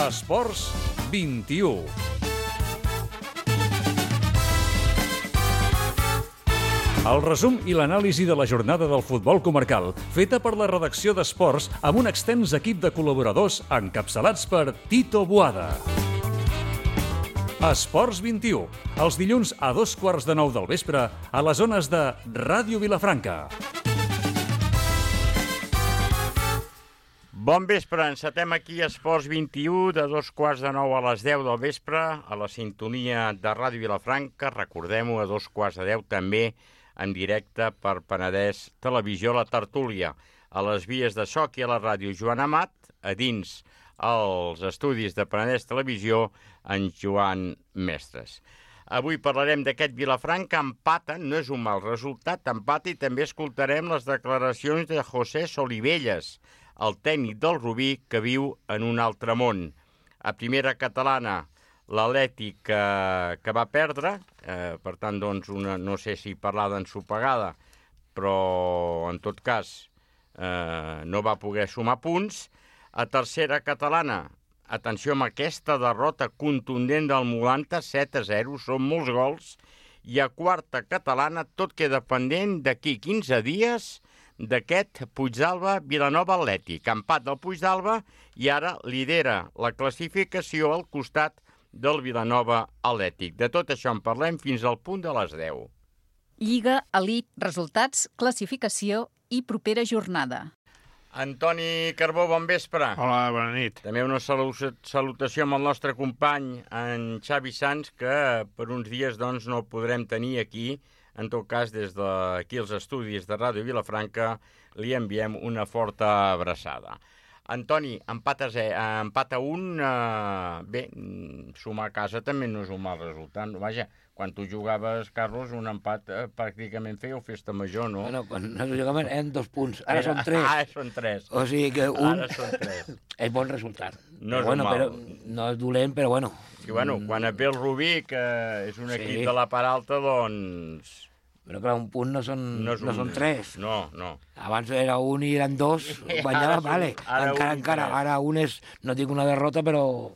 Esports 21. El resum i l'anàlisi de la jornada del futbol comarcal, feta per la redacció d'Esports amb un extens equip de col·laboradors encapçalats per Tito Boada. Esports 21, els dilluns a 8:15 del vespre a les zones de Ràdio Vilafranca. Bon vespre, encetem aquí Esports 21 de 8:15 a les 10 del vespre a la sintonia de Ràdio Vilafranca. Recordem-ho, a 8:15 també en directe per Penedès Televisió, la tertúlia, a les vies de so i a la ràdio Joan Amat, a dins els estudis de Penedès Televisió, en Joan Mestres. Avui parlarem d'aquest Vilafranca, empata, no és un mal resultat, empata, i també escoltarem les declaracions de José Solivelles, el tècnic del Rubí, que viu en un altre món. A primera catalana, l'Atlètic que va perdre, per tant, doncs, no sé si parlar d'ensopegada, però en tot cas no va poder sumar punts. A tercera catalana, atenció amb aquesta derrota contundent del Molanta, 7-0, són molts gols. I a quarta catalana, tot queda pendent d'aquí 15 dies d'aquest Puigdàlber-Vilanova Atlètic. Empat del Puigdàlber i ara lidera la classificació al costat del Vilanova Atlètic. De tot això en parlem fins al punt de les 10. Lliga, elit, resultats, classificació i propera jornada. Antoni Carbó, bon vespre. Hola, bona nit. També una salutació amb el nostre company, en Xavi Sans, que per uns dies doncs, no podrem tenir aquí. En tot cas, des d'aquí als estudis de Ràdio Vilafranca li enviem una forta abraçada. Antoni, empat a un, bé, sumar a casa també no és un mal resultat. Vaja, quan tu jugaves, Carlos, un empat pràcticament fèieu festa major, no? Bueno, quan nosaltres jugàvem eren 2 punts, ara són 3. Ara són 3. O sigui que un... Ara són 3. És bon resultat. No és bueno, mal. Però no és dolent, però bueno. I bueno, quan et ve el Rubí, que és un equip de la part alta, doncs... Però clar, un punt no són 3. No, no. Abans era un i eren 2, guanyava, vale. Encara, ara un és, no dic una derrota, però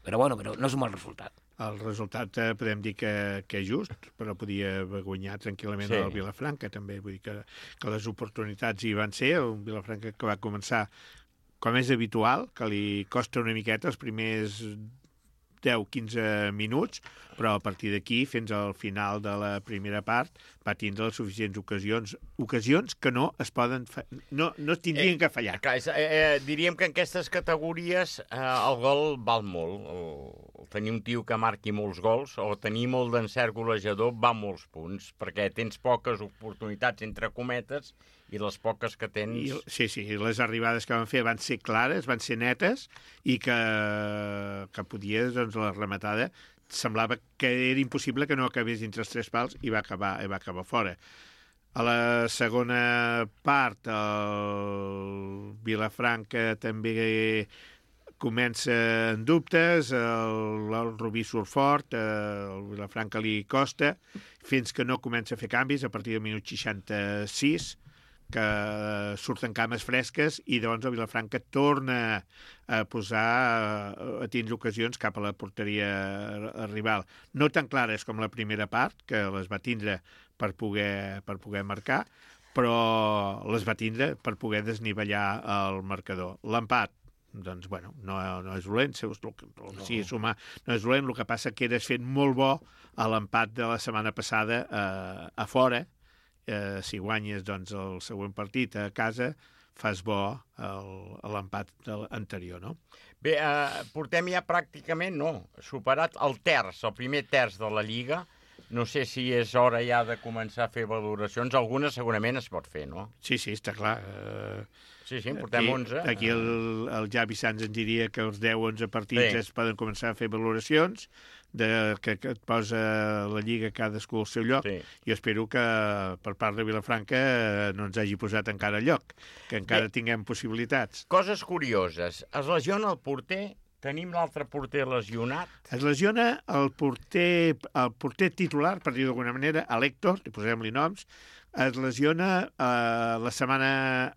bueno, però no és un mal resultat. El resultat podem dir que és just, però podia haver guanyat tranquil·lament el Vilafranca, també. Vull dir que les oportunitats hi van ser. Un Vilafranca que va començar, com és habitual, que li costa una miqueta els primers 10-15 minuts, però a partir d'aquí, fins al final de la primera part, va tindre les suficients ocasions que no es poden no es tindrien que fallar. Clar, diríem que en aquestes categories el gol val molt. Tenir un tio que marqui molts gols o tenir molt d'encert golejador va molts punts, perquè tens poques oportunitats, entre cometes, i les poques que tens... Sí, les arribades que van fer van ser clares, van ser netes, i que podies, doncs, la rematada semblava que era impossible que no acabés dintre els 3 pals i va acabar fora. A la segona part, el Vilafranca també comença en dubtes, el Rubí surt fort, el Vilafranca li costa, fins que no comença a fer canvis a partir del minut 66, que surten cames fresques i doncs el Vilafranca torna a posar, a tindre ocasions cap a la porteria rival. No tan clares com la primera part, que les va tindre per poder marcar, però les va tindre per poder desnivellar el marcador. L'empat, doncs, bueno, no és dolent, si sumar no és dolent, el que passa que era fent molt bo a l'empat de la setmana passada a fora. Si guanyes, doncs, el següent partit a casa, fas bo l'empat anterior, no? Bé, portem ja pràcticament, superat el primer terç de la Lliga. No sé si és hora ja de començar a fer valoracions. Algunes segurament es pot fer, no? Sí, està clar. Sí, portem 11. Aquí el Javi Sans ens diria que els 10-11 partits es poden començar a fer valoracions, que et posa la Lliga cadascú al seu lloc. Jo espero que per part de Vilafranca no ens hagi posat encara al lloc, que encara tinguem possibilitats. Coses curioses. Es lesiona el porter. Tenim l'altre porter lesionat. Es lesiona el porter titular, per dir d'alguna manera, l'Héctor, posem-li noms, es lesiona la setmana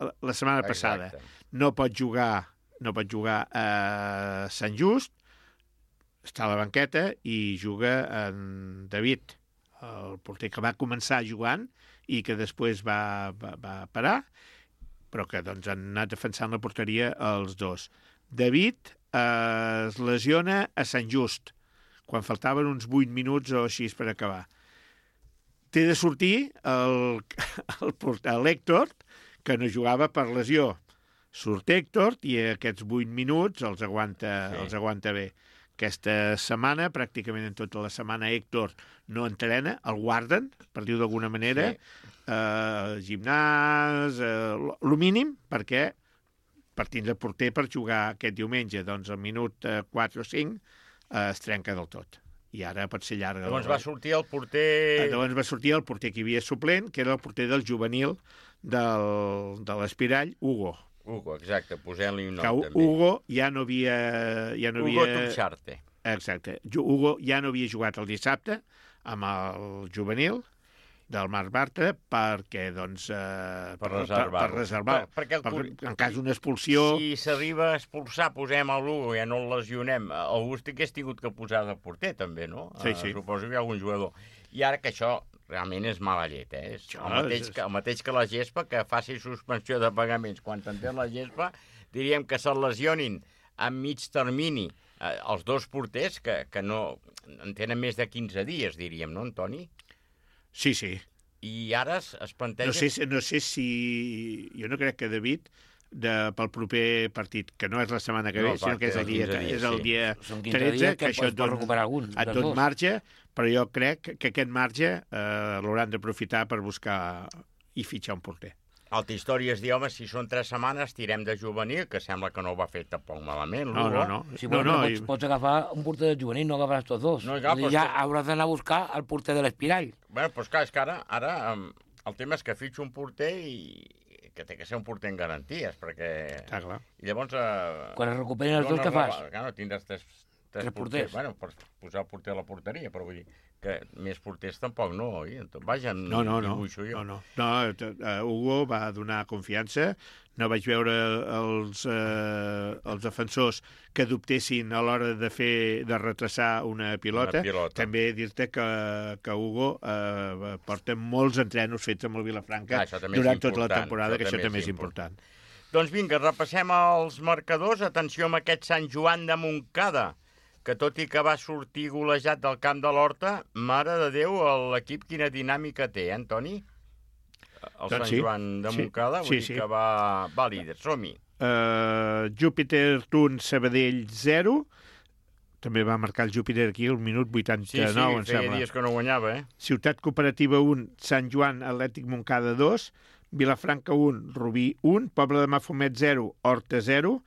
passada. No pot jugar no pot jugar a Sant Just, està a la banqueta i juga en David, el porter que va començar jugant i que després va parar, però que doncs, han anat defensant la porteria els dos. David es lesiona a Sant Just, quan faltaven uns 8 minuts o així per acabar. Té de sortir l'Héctor, que no jugava per lesió. Surt Héctor i aquests 8 minuts els aguanta bé. Aquesta setmana, pràcticament en tota la setmana, Héctor no entrena, el guarden, per dir-ho d'alguna manera, gimnàs, el mínim, perquè per tindre porter per jugar aquest diumenge, doncs al minut 4 o 5 es trenca del tot. I ara pot ser llarga. Llavors va sortir el porter... Llavors va sortir el porter que hi havia suplent, que era el porter del juvenil de l'Espirall, Hugo. Hugo, exacte, posem-li un nom també. Hugo ja no havia... Hugo Tuxarte. Exacte. Hugo ja no havia jugat el dissabte amb el juvenil del Marc Bartra perquè, doncs... per reservar. Perquè en cas d'una expulsió... Si s'arriba a expulsar, posem a l'Hugo, ja no el lesionem. Augusti que has tingut que posar de porter, també, no? Sí. Suposo que hi ha algun jugador. I ara que això realment és mala llet, eh? El mateix que la gespa, que faci suspensió de pagaments. Quan t'entén la gespa, diríem que se'l lesionin a mig termini els dos porters, que no en tenen més de 15 dies, diríem, no, Antoni? Sí. I ara es planteja... No sé si... Jo no crec que David, pel proper partit, que no és la setmana que ve, sinó que és el dia 13, que això et dona marge, però jo crec que aquest marge l'hauran d'aprofitar per buscar i fitxar un porter. Altra història és dir, home, si són 3 setmanes, tirem de juvenil, que sembla que no ho va fer tampoc malament. No. Si pots agafar un porter de juvenil, no agafaràs tots dos. No, ja hauràs d'anar a buscar el porter de l'Espirall. Bé, doncs clar, és que ara el tema és que fitxo un porter i que té que ser un porter en garanties, perquè... Està clar. I llavors... Quan es recuperen els dos, què fas? Clar, tindràs tres porters. Bueno, per posar el porter a la porteria, però vull dir que més porters tampoc no, oi? Vaja, No. Hugo va donar confiança. No vaig veure els defensors que dubtessin a l'hora de retrasar una pilota. També dir-te que Hugo porta molts entrenos fets amb el Vilafranca durant tota la temporada, que això també és important. Doncs vinga, repassem els marcadors. Atenció amb aquest Sant Joan de Montcada, que tot i que va sortir golejat del camp de l'Horta, mare de Déu, l'equip quina dinàmica té, Antoni? El Sant Joan de Montcada, vull dir que va líder. Som-hi. Júpiter 1, Sabadell 0. També va marcar el Júpiter aquí al minut 89, em sembla. Sí, feia dies que no guanyava, Ciutat Cooperativa 1, Sant Joan Atlètic Montcada 2, Vilafranca 1, Rubí 1, Poble de Mafumet 0, Horta 0,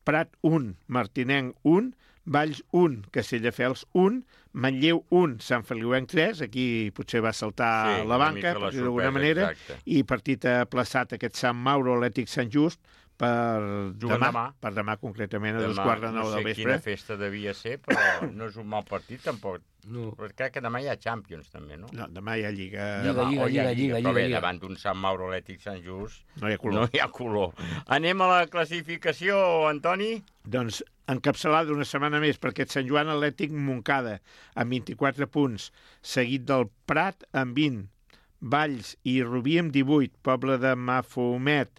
Prat 1, Martinenc 1, Valls 1, Castelldefels 1, Manlleu 1, Sant Feliuenc 3, aquí potser va saltar la banca, per dir d'alguna manera, i partit aplaçat aquest Sant Mauro Atlètic Sant Just per demà concretament a 8:45 del vespre. No sé quina festa devia ser, però no és un mal partit tampoc. No. Però crec que demà hi ha Champions també, no? No, demà hi ha Lliga. Lliga. Però bé, davant d'un Sant Mauro Atlètic Sant Just no hi ha color. Anem a la classificació, Antoni? Doncs encapçalada una setmana més per aquest Sant Joan Atlètic Montcada amb 24 punts, seguit del Prat amb 20, Valls i Rubí amb 18, Poble de Mafumet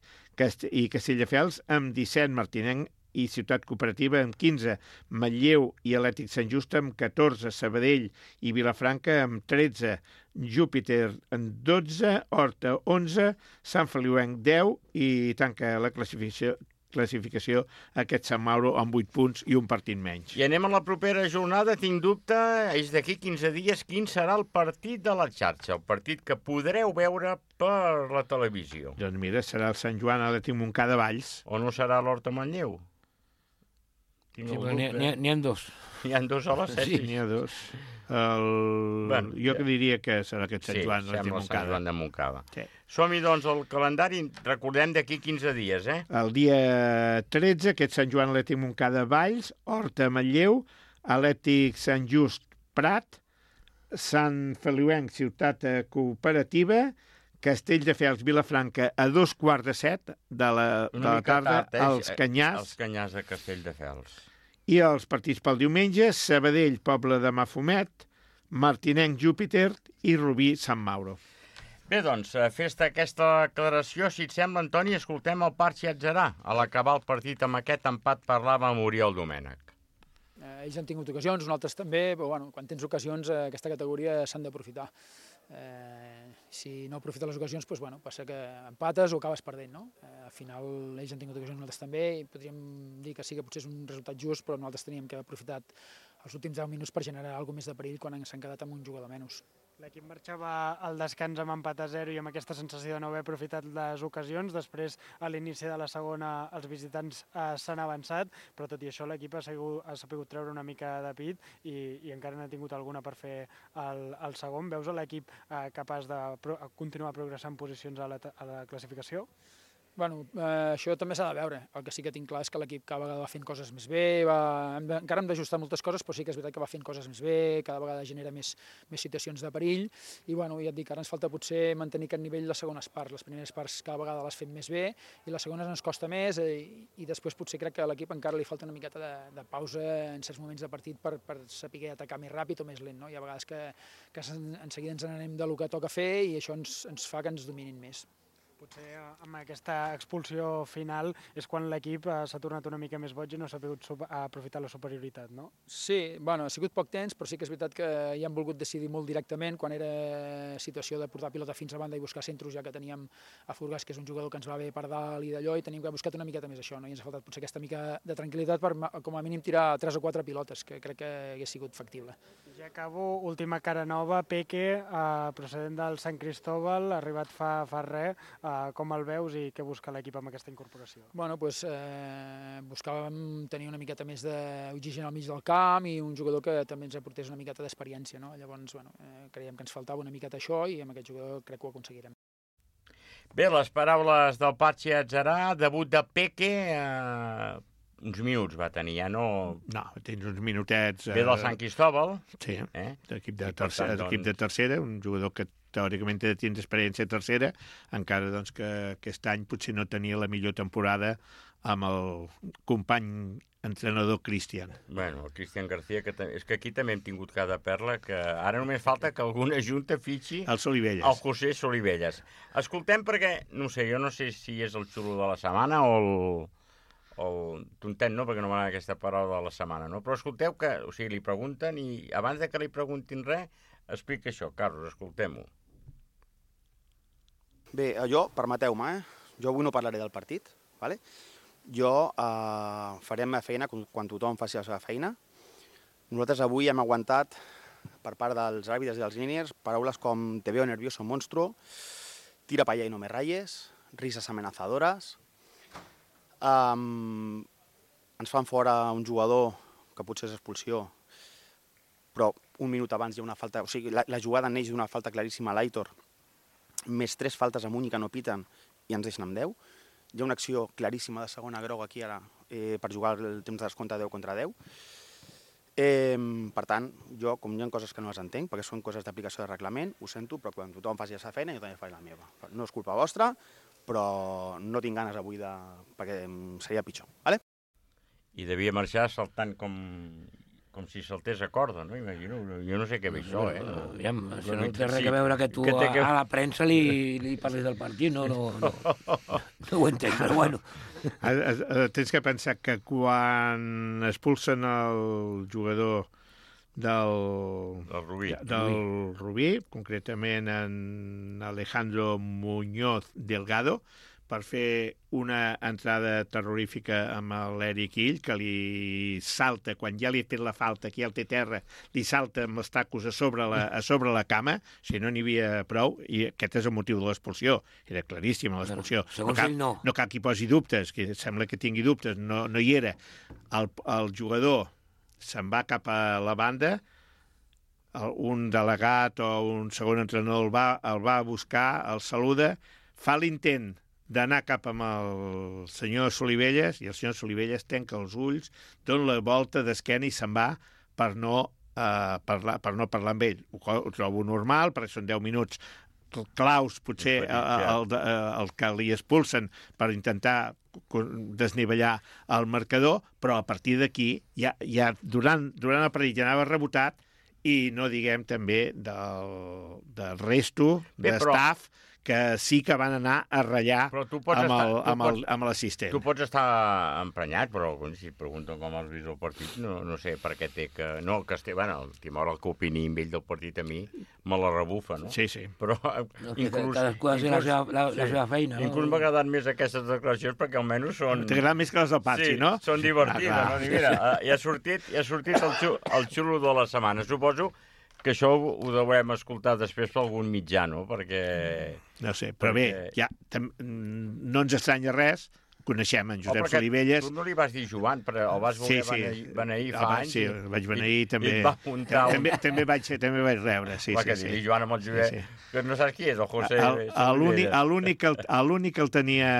i Castelldefels amb 17, Martinenc i Ciutat Cooperativa amb 15, Manlleu i Atlètic Sant Just amb 14, Sabadell i Vilafranca amb 13, Júpiter amb 12, Horta 11, Sant Feliuenc 10 i tanca la classificació aquest Sant Mauro amb 8 punts i un partit menys. I anem a la propera jornada, tinc dubte, és d'aquí 15 dies, quin serà el partit de la xarxa, el partit que podreu veure per la televisió. Doncs mira, serà el Sant Joan Atlètic Montcada Valls. O no serà l'Horta Manlleu? N'hi ha dos. N'hi ha dos a les 7? Sí, n'hi ha dos. Jo diria que serà aquest Sant Joan de Montcada. Sant Joan de Montcada. Sí. Som-hi, doncs, al calendari, recordem d'aquí 15 dies, El dia 13, aquest Sant Joan Atlètic Montcada Valls, Horta Manlleu, Atlètic Sant Just Prat, Sant Feliuenc Ciutat Cooperativa, Castelldefels-Vilafranca a 2:15 de la tarda als Canyars. Els Canyars de Castelldefels. I els partits pel diumenge, Sabadell, Poble de Mafumet, Martinenc, Júpiter i Rubí, Sant Mauro. Bé, doncs, fes-te aquesta declaració, si et sembla, Antoni, escoltem el Parchi Atzarà. A l'acabar el partit amb aquest empat parlava amb Oriol Domènech. Ells han tingut ocasions, nosaltres també, però bueno, quan tens ocasions, aquesta categoria s'han d'aprofitar. Si no aprofites les ocasions, doncs, bueno, passa que empates o acabes perdent, no? Al final ells han tingut ocasions, nosaltres també, i podríem dir que sí que potser és un resultat just, però nosaltres teníem que haver aprofitat els últims 10 minuts per generar alguna més de perill quan s'han quedat amb un jugador menys. L'equip marxava al descans amb empat a 0 i amb aquesta sensació de no haver aprofitat les ocasions. Després, a l'inici de la segona, els visitants s'han avançat, però tot i això l'equip ha sabut treure una mica de pit i encara n'ha tingut alguna per fer el segon. Veus l'equip capaç de continuar progressant posicions a la classificació? Bueno, això també s'ha de veure. El que sí que tinc clar és que l'equip cada vegada va fent coses més bé, encara hem d'ajustar moltes coses, però sí que és veritat que va fent coses més bé, cada vegada genera més situacions de perill, i bueno, ja et dic, ara ens falta potser mantenir aquest nivell les segones parts. Les primeres parts cada vegada les fem més bé, i les segones ens costa més, i després potser crec que a l'equip encara li falta una miqueta de pausa en certs moments de partit per saber atacar més ràpid o més lent, no? Hi ha vegades que en seguida ens n'anem del que toca fer, i això ens fa que ens dominin més. Potser amb aquesta expulsió final és quan l'equip s'ha tornat una mica més boig i no s'ha pogut aprofitar la superioritat, no? Sí, bueno, ha sigut poc temps, però sí que és veritat que hi han volgut decidir molt directament quan era situació de portar pilota fins a banda i buscar centros, ja que teníem a Furgas, que és un jugador que ens va bé per dalt i d'allò, i tenim que haver buscat una miqueta més això, no? I ens ha faltat potser aquesta mica de tranquil·litat per com a mínim tirar 3 o 4 pilotes, que crec que hagués sigut factible. Ja acabo, última cara nova, Peque, procedent del Sant Cristóbal, arribat fa res. Com el veus i què busca l'equip amb aquesta incorporació? Bueno, doncs buscàvem tenir una miqueta més d'oxigen al mig del camp i un jugador que també ens aportés una miqueta d'experiència, no? Llavors, bueno, creiem que ens faltava una miqueta això i amb aquest jugador crec que ho aconseguirem. Bé, les paraules del Parchi Atzarà, debut de Peque, uns minuts va tenir, ja no... No, tens uns minutets... Ve del Sant Cristóbal. Sí, l'equip de tercera, un jugador que teòricament tens experiència a tercera, encara doncs, que aquest any potser no tenia la millor temporada amb el company entrenador Cristian. Bueno, el Cristian García, és que aquí també hem tingut cada perla, que ara només falta que alguna junta fitxi el Solivelles. El José Solivelles. Escoltem perquè, no sé, jo no sé si és el xulo de la setmana o el tontet, no, perquè no m'agrada aquesta paraula de la setmana, no? Però escolteu que, o sigui, li pregunten i abans de que li preguntin res, explica això. Carlos, escoltem-ho. Bé, jo, permeteu-me, jo avui no parlaré del partit, ¿vale? Jo faré la meva feina quan tothom faci la seva feina. Nosaltres avui hem aguantat, per part dels àrbitres i dels líniers, paraules com te veo nervioso monstruo, tira pa allá y no me rayes, risas amenazadores. Ens fan fora un jugador que potser és expulsió, però un minut abans hi ha una falta, o sigui, la jugada neix d'una falta claríssima a l'Aitor, més 3 faltes amunt i que no piten i ens deixen amb 10. Hi ha una acció claríssima de segona groga aquí ara per jugar el temps de descompte 10 contra 10. Per tant, jo, com hi ha coses que no les entenc, perquè són coses d'aplicació de reglament, ho sento, però quan tothom faci la seva feina, jo també faig la meva. No és culpa vostra, però no tinc ganes avui perquè seria pitjor. Vale? I devia marxar saltant com si saltés a corda, no? Imagino, jo no sé què ve això, Aviam, això no té res a veure que tu a la premsa li parlis del partit, no ho entenc, però bueno. Tens que pensar que quan expulsen el jugador del Rubí, concretament en Alejandro Muñoz Delgado, per fer una entrada terrorífica amb l'Eric Ill, que li salta, quan ja li ha fet la falta, que ja el té terra, li salta amb els tacos a sobre la cama, si no n'hi havia prou, i aquest és el motiu de l'expulsió. Era claríssima l'expulsió. Segons ell no. No cal que hi posi dubtes, que sembla que tingui dubtes, no hi era. El jugador se'n va cap a la banda, un delegat o un segon entrenador el va buscar, el saluda, fa l'intent d'anar cap amb el senyor Solivelles, i el senyor Solivelles tanca els ulls, dona la volta d'esquena i se'n va per no parlar amb ell. Ho trobo normal, perquè són 10 minuts claus, potser el que li expulsen per intentar desnivellar el marcador, però a partir d'aquí, ja durant el partit ja anava rebotat, i no diguem també del resto de staff que sí que van anar a ratllar amb l'assistent. Tu pots estar emprenyat, però si et pregunten com has vist el partit, no sé per què té que... No, que el Timor, el que opini amb ell del partit a mi, me la rebufa, no? Sí, sí. Però inclús... Cadascú ha de fer la seva feina. Inclús m'ha agradat més aquestes declaracions perquè almenys són... T'agrada més que les del Patxi, no? Sí, són divertides. No? Mira, ja ha sortit el xulo de la setmana. Suposo que això ho deurem escoltar després per algun mitjà, no? Perquè... No sé, però bé, no ens estranya res, coneixem en Josep Solivelles. Tu no li vas dir Joan, però el vas voler beneir fa anys. Sí, el vaig beneir també. I et va muntar... També vaig rebre, sí. Va, que dir Joan amb el Josep, que no saps qui és, el José... L'únic que el tenia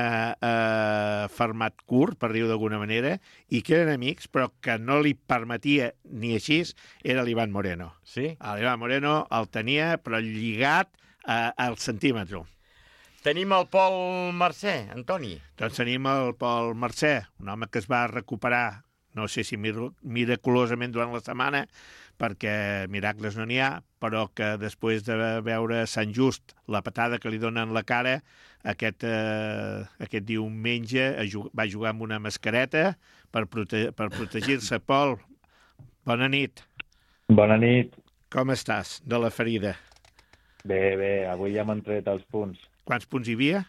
fermat curt, per dir-ho d'alguna manera, i que eren amics, però que no li permetia ni així, era l'Ivan Moreno. Sí? L'Ivan Moreno el tenia, però lligat al centímetre. Tenim el Pol Mercè, Antoni. Doncs tenim el Pol Mercè, un home que es va recuperar, no sé si miraculosament durant la setmana, perquè miracles no n'hi ha, però que després de veure Sant Just, la patada que li donen la cara, aquest diumenge va jugar amb una mascareta per protegir-se. Pol, bona nit. Bona nit. Com estàs de la ferida? Bé, avui ja m'han tret els punts. Quants punts hi havia?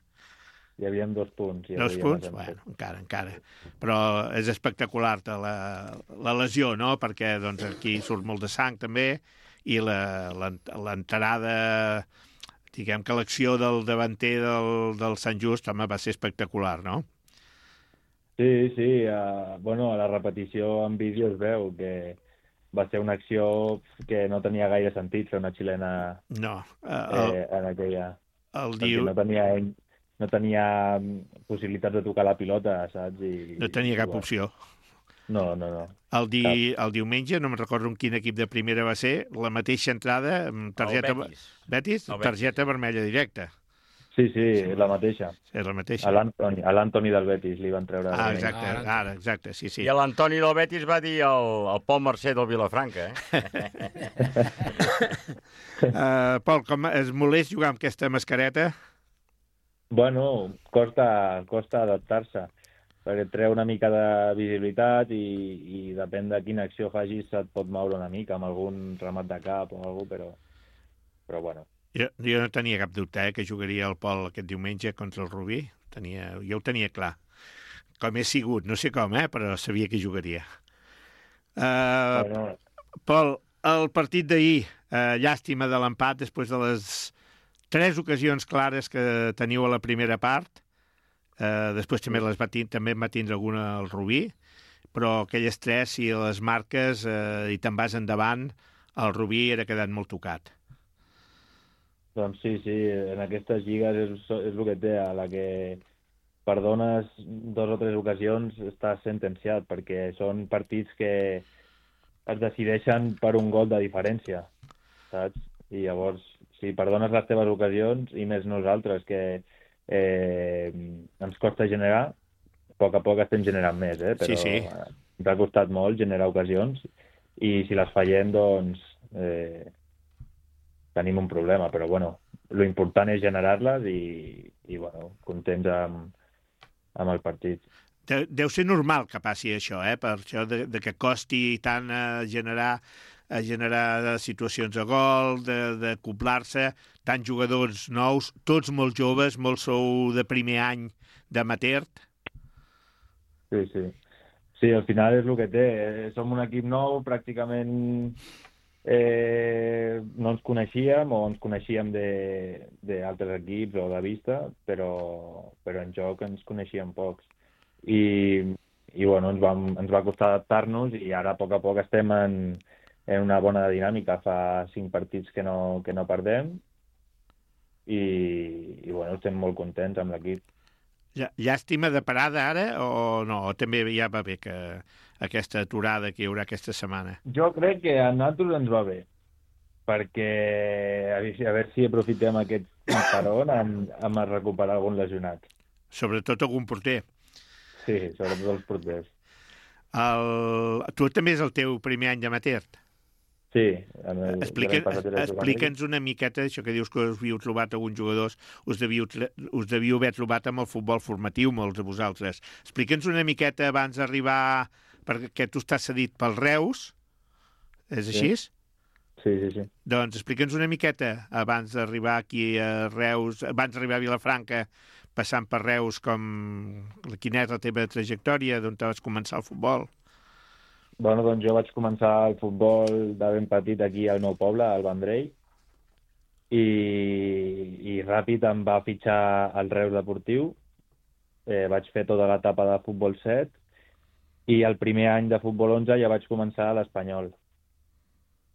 Hi havia 2 punts. 2 punts? Bueno, encara. Però és espectacular la lesió, no? Perquè doncs, aquí surt molt de sang també, i l'entrada, diguem que l'acció del davanter del Sant Just, home, va ser espectacular, no? Sí. A la repetició en vídeo es veu que va ser una acció que no tenia gaire sentit fer una xilena en aquella... No tenia possibilitats de tocar la pilota, saps? No tenia cap opció. No. El diumenge, no me'n recordo en quin equip de primera va ser, la mateixa entrada, targeta... Betis? Targeta vermella directa. Sí, la mateixa. Sí, la mateixa. A l'Antoni del Betis li van treure... Exacte, sí. I l'Antoni del Betis va dir el Pol Mercè del Vilafranca, Pol, com és molest jugar amb aquesta mascareta? Bueno, costa adaptar-se, perquè treu una mica de visibilitat i depèn de quina acció facis et pot moure una mica amb algun remat de cap o alguna cosa, però bueno. Jo no tenia cap dubte que jugaria el Pol aquest diumenge contra el Rubí. Jo ho tenia clar. Com he sigut, no sé com, però sabia que jugaria. Pol, el partit d'ahir, llàstima de l'empat després de les 3 ocasions clares que teniu a la primera part. Després també va tindre alguna al Rubí, però aquelles 3, si les marques i te'n vas endavant, el Rubí era quedant molt tocat. Doncs sí, en aquestes lligues és el que té, a la que perdones 2 o 3 ocasions estàs sentenciat, perquè són partits que es decideixen per un gol de diferència, saps? I llavors, si perdones les teves ocasions, i més nosaltres, que ens costa generar, a poc estem generant més, però sí. Ens ha costat molt generar ocasions, i si les fallem, doncs... tenim un problema, però lo important és generar-les i contents amb el partit. Deu ser normal que passi això, per això de que costi tant generar situacions de gol, d'acoplar-se, tants jugadors nous, tots molt joves, molts sou de primer any d'amateur. Sí. Sí, al final és el que té. Som un equip nou, pràcticament... no ens coneixíem o ens coneixíem d'altres equips o de vista, però en joc ens coneixíem pocs. I ens va costar adaptar-nos i ara a poc estem en una bona dinàmica. Fa 5 partits que no perdem i estem molt contents amb l'equip. Llàstima de parada ara o no? O també ja va bé que aquesta aturada que hi haurà aquesta setmana? Jo crec que a nosaltres ens va bé. perquè a veure si aprofitem aquest peron amb recuperar algun lesionat. Sobretot algun porter. Sí, sobretot els porters. Tu també és el teu primer any d'amateur? Sí. Explica'ns una miqueta això que dius que us havíeu trobat alguns jugadors, us devíeu haver trobat amb el futbol formatiu, molts de vosaltres. Explica'ns una miqueta abans d'arribar, perquè tu estàs cedit pel Reus, és així? Sí. Doncs explica'ns una miqueta abans d'arribar aquí a Reus, abans d'arribar a Vilafranca, passant per Reus, quina és la teva trajectòria, d'on vas començar el futbol? Bueno, doncs jo vaig començar el futbol de ben petit aquí al meu poble, al Vendrell, i ràpid em va fitxar al Reus Deportiu. Vaig fer tota l'etapa de futbol 7 i el primer any de futbol 11 ja vaig començar a l'Espanyol.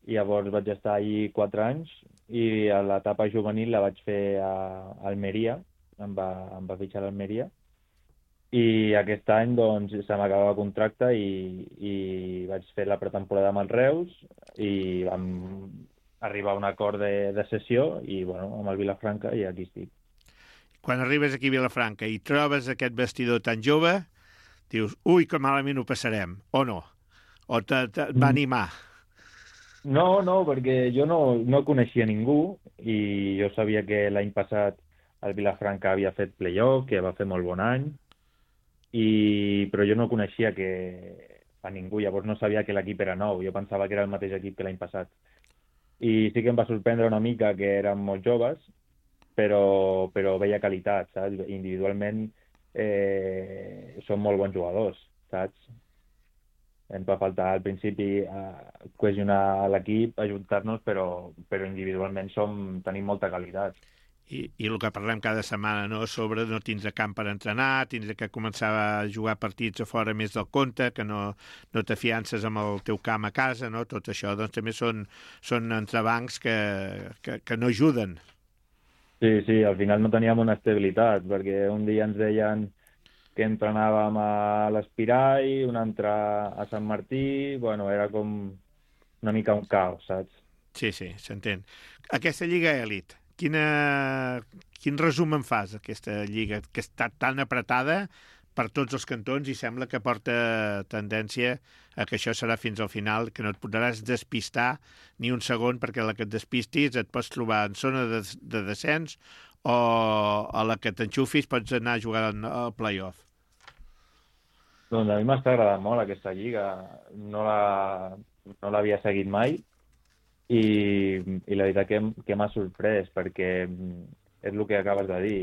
Llavors vaig estar allí 4 anys i a l'etapa juvenil la vaig fer a Almeria, em va fitxar a l'Almeria. I aquest any doncs, se m'acabava el contracte i vaig fer la pretemporada amb el Reus i vam arribar a un acord de cessió i bueno, amb el Vilafranca i aquí estic. Quan arribes aquí a Vilafranca i trobes aquest vestidor tan jove, dius, ui, que malament ho passarem, o no? O va animar? No, perquè jo no coneixia ningú i jo sabia que l'any passat el Vilafranca havia fet playoff, que va fer molt bon any, però jo no coneixia a ningú, llavors no sabia que l'equip era nou, jo pensava que era el mateix equip que l'any passat. I sí que em va sorprendre una mica que eren molt joves, però veia qualitat, saps? Individualment són molt bons jugadors, saps? Ens va faltar al principi cohesionar l'equip, ajuntar-nos, però individualment tenim molta qualitat. I el que parlem cada setmana, no? Sobre no tindre camp per entrenar, tindre que començar a jugar partits a fora més del compte, que no t'afiances amb el teu camp a casa, no? Tot això doncs, també són entrebancs que no ajuden. Sí, al final no teníem una estabilitat, perquè un dia ens deien que entrenàvem a l'Espirall, un altre a Sant Martí, bueno, era com una mica un caos, saps? Sí, s'entén. Aquesta Lliga Elit, quin resum en fas, aquesta lliga, que està tan apretada per tots els cantons i sembla que porta tendència a que això serà fins al final, que no et podràs despistar ni un segon, perquè a la que et despistis et pots trobar en zona de descens o a la que t'enxufis pots anar a jugar al play-off. Doncs a mi m'està agradant molt aquesta lliga. No l'havia seguit mai, i la veritat que m'ha sorprès, perquè és el que acabes de dir.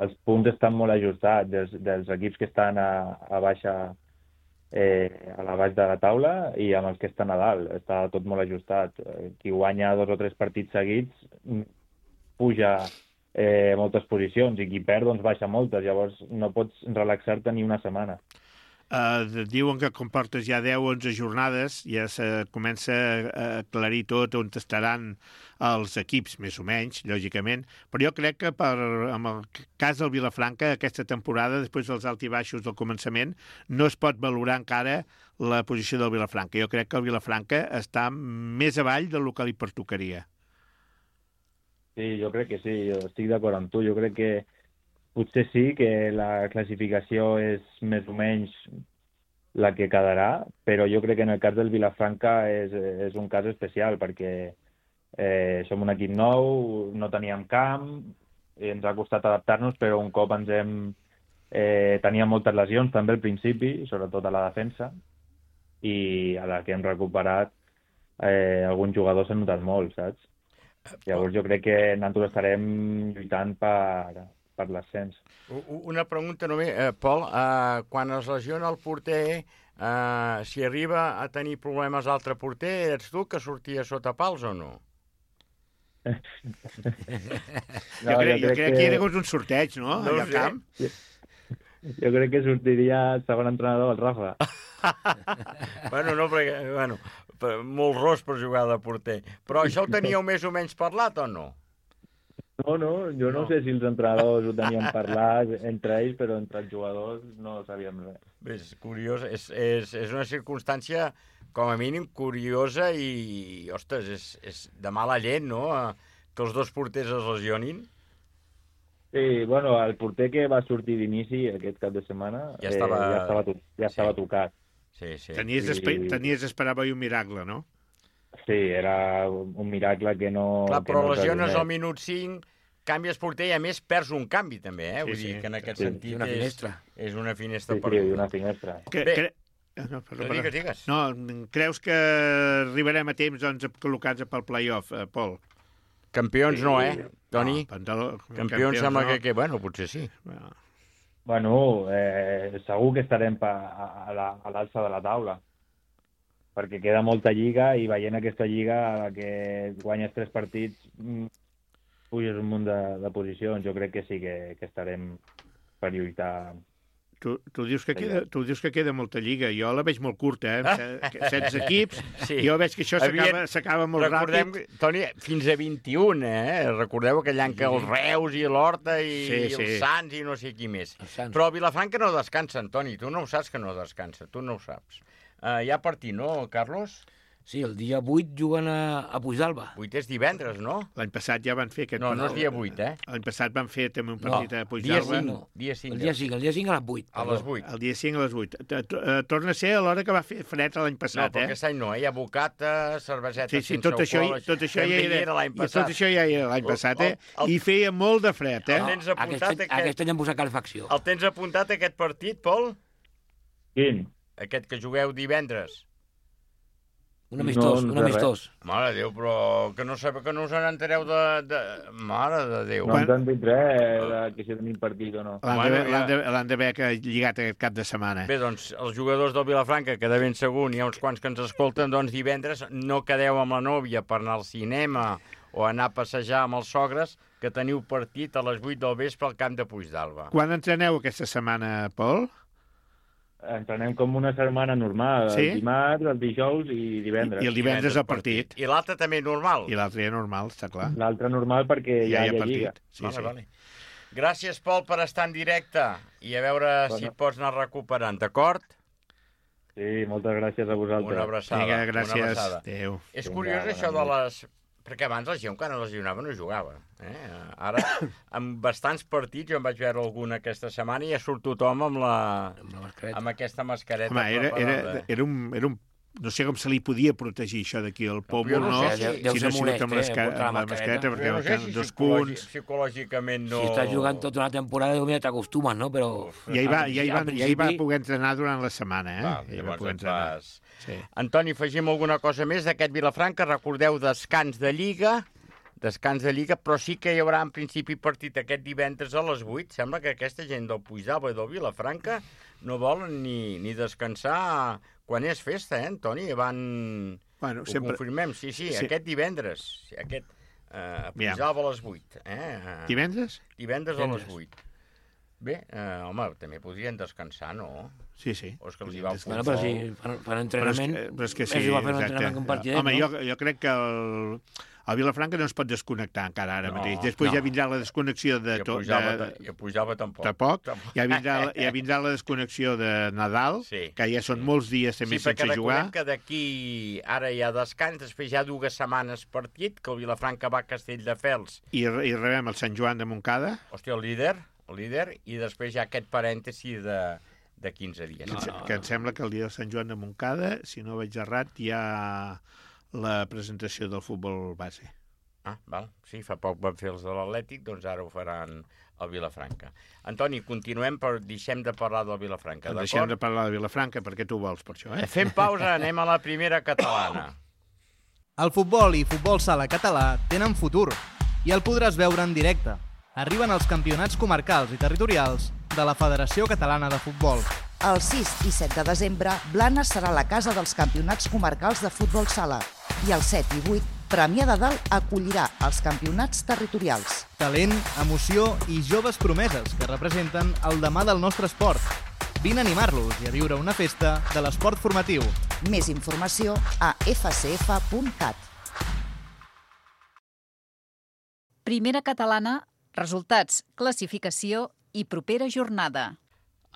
Els punts estan molt ajustats dels equips que estan a baixa, a la baix de la taula, i amb els que estan a dalt. Està tot molt ajustat. Qui guanya 2 o 3 partits seguits puja moltes posicions, i qui perd doncs baixa moltes. Llavors no pots relaxar-te ni una setmana. Diuen que com portes ja 10-11 jornades ja se comença a aclarir tot on estaran els equips, més o menys, lògicament, però jo crec que en el cas del Vilafranca aquesta temporada, després dels alts i baixos del començament, no es pot valorar encara la posició del Vilafranca. Jo crec que el Vilafranca està més avall del que li pertocaria. Sí, jo crec que sí, jo estic d'acord amb tu. Jo crec que potser sí que la classificació és més o menys la que quedarà, però jo crec que en el cas del Vilafranca és un cas especial, perquè som un equip nou, no teníem camp, ens ha costat adaptar-nos, però un cop teníem moltes lesions també al principi, sobretot a la defensa, i a la que hem recuperat alguns jugadors s'han notat molt, saps? Llavors jo crec que nosaltres estarem lluitant per l'ascens. Una pregunta només, Pol, quan es lesiona el porter, si arriba a tenir problemes l'altre porter, ets tu que sortia sota pals o no? Jo crec que era un sorteig, no? No sé. Jo crec que sortiria el segon entrenador, el Rafa. Bueno, molt ros per jugar de porter. Però això ho teníeu més o menys parlat o no? No, jo no sé si els entrenadors ho tenien parlat entre ells, però entre els jugadors no sabíem res. Bé, és curiós, és una circumstància com a mínim curiosa i, ostres, és de mala llet, no?, que els dos porters es lesionin. Sí, bueno, el porter que va sortir d'inici aquest cap de setmana Ja estava tocat. Sí, sí. Tenies d'esperar un miracle, no? Sí, era un miracle que no... Clar, però no lesiones al minut 5, canvies porter i a més perds un canvi també, Vull dir que en aquest sentit una finestra. És una finestra perduda. Sí, una finestra. Digues. No, creus que arribarem a temps doncs, col·locats pel play-off, Pol? Campions no, Toni? Campions sembla que... Bueno, potser sí. Bueno, segur que estarem a l'alça de la taula, perquè queda molta lliga i veient aquesta lliga a la que guanyes 3 partits puges un munt de posicions. Jo crec que sí que estarem per lluitar. Tu dius que queda molta lliga. Jo la veig molt curta, 16 equips. Sí. Jo veig que això s'acaba molt ràpid. Toni, fins a 21, Recordeu aquell any que els Reus i l'Horta i els Sants i no sé qui més. Però el Vilafranca no descansa, Toni. Tu no ho saps que no descansa. Tu no ho saps. Hi ha partit, no, Carlos? Sí, el dia 8 juguen a Puigdàlber. 8 és divendres, no? L'any passat ja van fer aquest... No, no és dia 8, L'any passat van fer també un partit a Puigdàlber. Dia 5 a les 8. A les 8. El dia 5 a les 8. Torna a ser a l'hora que va fer fred l'any passat, No, però aquest any no, hi ha bocata, cerveseta sense alcohol... Tot això ja era l'any passat, I feia molt de fred, Aquest any han posat calefacció. El tens apuntat, aquest partit, Pol? Quin? Aquest que jugueu divendres. Un amistós. Mare de Déu, però que no us n'entereu de... Mare de Déu. No ens han dit res que si tenim partit o no. L'han d'haver lligat aquest cap de setmana. Bé, doncs, els jugadors del Vilafranca, que de ben segur hi ha uns quants que ens escolten, doncs divendres no quedeu amb la nòvia per anar al cinema o anar a passejar amb els sogres, que teniu partit a les 8 del vespre al camp de Puigdàlber. Quan entreneu aquesta setmana, Pol? Entrenem com una setmana normal, el dimarts, el dijous i divendres. I el divendres el partit. I l'altre també normal? I l'altre normal, està clar. L'altre normal perquè ja hi ha lliga. Vale. Gràcies, Pol, per estar en directe i a veure si et pots anar recuperant, d'acord? Sí, moltes gràcies a vosaltres. Una abraçada. Vinga, gràcies. Adéu. És curiós això de les... Perquè abans la gent, quan es lesionava, no jugava. Ara, amb bastants partits, jo em vaig veure alguna aquesta setmana i ja surt tothom amb aquesta mascareta. Home, era un... No sé com se li podia protegir això d'aquí al Pòmul, no? Si no ha sigut amb la mascareta, perquè dos punts... Psicològicament no... Si estàs jugant tota una temporada, mira, t'acostumes, no? Però... Ja hi va poder entrenar durant la setmana, Ja va poder entrenar. Antoni, afegim alguna cosa més d'aquest Vilafranca? Recordeu, descans de Lliga, però sí que hi haurà en principi partit aquest divendres a les 8. Sembla que aquesta gent del Puigdàlber i del Vilafranca no volen ni descansar quan és festa, Antoni? Ho confirmem, sí, aquest divendres. A Puigdàlber a les 8. Divendres? Divendres a les 8. Bé, home, també podrien descansar, no? Sí. O és que els hi va el futbol. Bueno, però si fan entrenament... Però és que sí, exacte. Home, jo crec que el Vilafranca no es pot desconnectar encara ara mateix. Després ja vindrà la desconnexió de... I a Puigdàlber tampoc. Ja vindrà la desconnexió de Nadal, que ja són molts dies també sense jugar. Sí, perquè recordem que d'aquí ara hi ha descans, després hi ha 2 setmanes partit, que el Vilafranca va a Castelldefels. I rebem el Sant Joan de Montcada. Hòstia, el líder, i després hi ha aquest parèntesi de 15 dies. Que em sembla que el dia del Sant Joan de Montcada, si no vaig errat, hi ha la presentació del futbol base. Val. Sí, fa poc van fer els de l'Atlètic, doncs ara ho faran al Vilafranca. Antoni, continuem, però deixem de parlar del Vilafranca, d'acord? Deixem de parlar del Vilafranca, perquè tu vols per això, Fem pausa, anem a la primera catalana. El futbol i futbol sala català tenen futur i el podràs veure en directe. Arriben els campionats comarcals i territorials de la Federació Catalana de Futbol. El 6 i 7 de desembre, Blanes serà la casa dels campionats comarcals de futbol sala i el 7 i 8, Premià de Dalt acollirà els campionats territorials. Talent, emoció i joves promeses que representen el demà del nostre esport. Vine a animar-los i a viure una festa de l'esport formatiu. Més informació a fcf.cat. Primera catalana, resultats, classificació i propera jornada.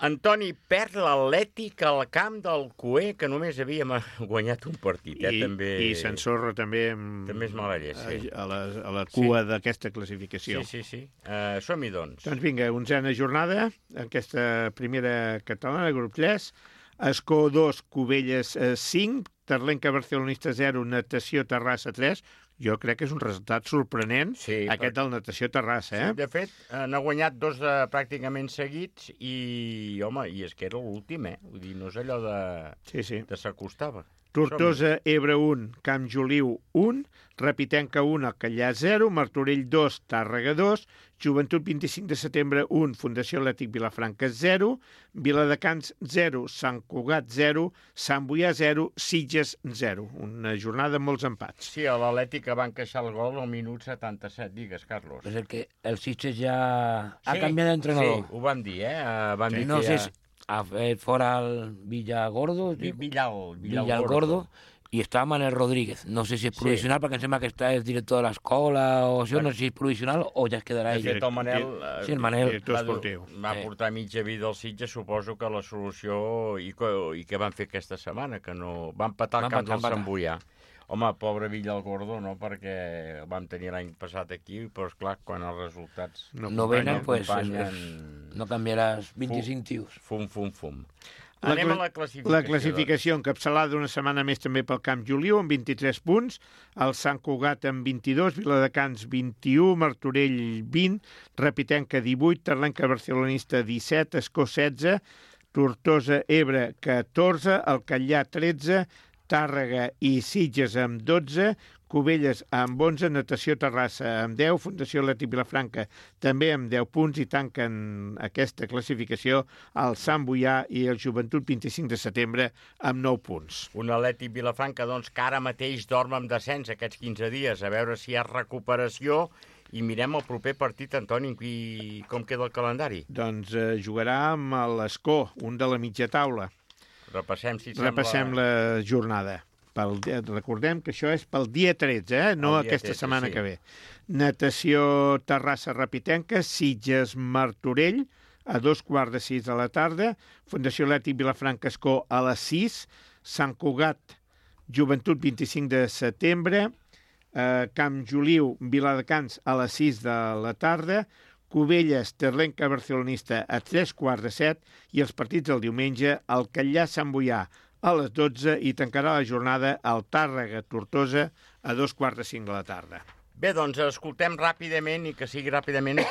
Antoni, perd l'Atlètic al camp del Cué, que només havíem guanyat un partit. També... I s'ensorra també també és mala llet, sí. a la cua d'aquesta classificació. Sí. Som-hi, doncs. Doncs vinga, 11a jornada, aquesta primera catalana, grup 3, Escó 2, Cubelles 5, Terlenca Barcelonista 0, Natació Terrassa 3. Jo crec que és un resultat sorprenent, aquest del Natació Terrassa, eh? Sí, de fet, n'ha guanyat 2 pràcticament seguits i, home, i és que era l'últim, Vull dir, no és allò de... Sí. de s'acostava. Tortosa, Ebre 1, Camp Joliu 1, Repitenca 1, Alcallà 0, Martorell 2, Tàrrega 2, Joventut 25 de setembre 1, Fundació Atlètic Vilafranca 0, Viladecans 0, Sant Cugat 0, Sant Boià 0, Sitges 0. Una jornada amb molts empats. Sí, a l'Atlètic va encaixar el gol al minut 77, digues, Carlos. És el que el Sitges ja ha canviat d'entrenador. Sí, ho vam dir, Vam dir no que sé si ha fet fora el Villargordo. Villargordo. I està Manel Rodríguez. No sé si és provisional, perquè em sembla que és director de l'escola o això, no sé si és provisional o ja es quedarà ell. De fet, el Manel, el Manel va portar mitja vida al Sitges, suposo que la solució... I què van fer aquesta setmana? Que no... Van empatar el camp del Sant Boià. Home, pobre Villargordo, no, perquè vam tenir l'any passat aquí, però esclar, quan els resultats no venen, pues, no canviaràs 25 tios. Fum. Anem a la classificació. La classificació encapçalada una setmana més també pel Camp Joliu, amb 23 punts, el Sant Cugat amb 22, Viladecans 21, Martorell 20, Repitenca 18, Terlenca Barcelonista 17, Escó 16, Tortosa, Ebre 14, Alcallà 13, Tàrrega i Sitges amb 12, Cubelles amb 11, Natació Terrassa amb 10, Fundació Atlètic Vilafranca també amb 10 punts i tanquen aquesta classificació el Sant Boià i el Joventut 25 de setembre amb 9 punts. Un Atlètic Vilafranca, doncs, que ara mateix dorm amb descens aquests 15 dies, a veure si hi ha recuperació i mirem el proper partit, Antoni, com queda el calendari. Doncs jugarà amb l'Escó, un de la mitja taula. Repassem la jornada. Recordem que això és pel dia 13, no aquesta setmana que ve. Natació Terrassa Repitenca, Sitges Martorell, a 2:15 de la tarda, Fundació Atlètic Vilafranca Escó a les 6, Sant Cugat Joventut 25 de setembre, Camp Joliu Viladecans a les 6 de la tarda, Cubelles, Terlenca Barcelonista a 3:15 i els partits del diumenge, Alcallà Sant Boià a les 12 i tancarà la jornada al Tàrrega Tortosa a 2:45 de la tarda. Bé, doncs escoltem ràpidament i que sigui ràpidament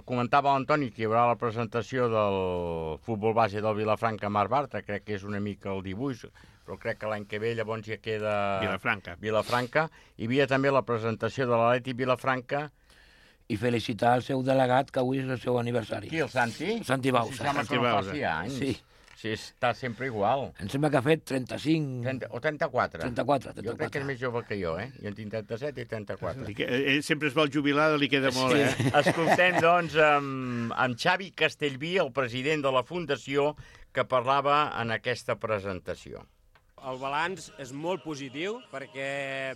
comentava l'Antoni que hi haurà la presentació del futbol base del Vilafranca Mar Bartra, crec que és una mica el dibuix, però crec que l'any que ve llavors ja queda Vilafranca. Hi havia també la presentació de l'Atlètic Vilafranca. I felicitar el seu delegat, que avui és el seu aniversari. Qui, el Santi? Santi Bausa. Si sembla que no faci anys. Sí. Sí, està sempre igual. Em sembla que ha fet 35... O 34. 34. Jo crec que és més jove que jo, Jo en tinc 37 i 34. Ell sempre es vol jubilar, li queda molt, Escoltem, doncs, amb Xavi Castellví, el president de la Fundació, que parlava en aquesta presentació. El balanç és molt positiu perquè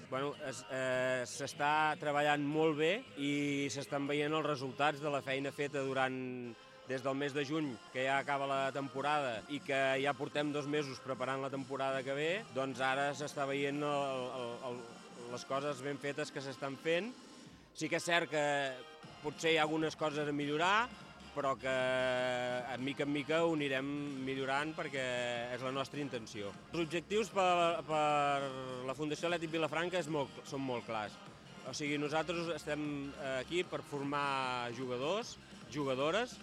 s'està treballant molt bé i s'estan veient els resultats de la feina feta des del mes de juny, que ja acaba la temporada i que ja portem 2 mesos preparant la temporada que ve, doncs ara s'està veient les coses ben fetes que s'estan fent. Sí que és cert que potser hi ha algunes coses a millorar, però que de mica en mica ho anirem millorant perquè és la nostra intenció. Els objectius per la Fundació Atlètic Vilafranca són molt clars. O sigui, nosaltres estem aquí per formar jugadors, jugadores,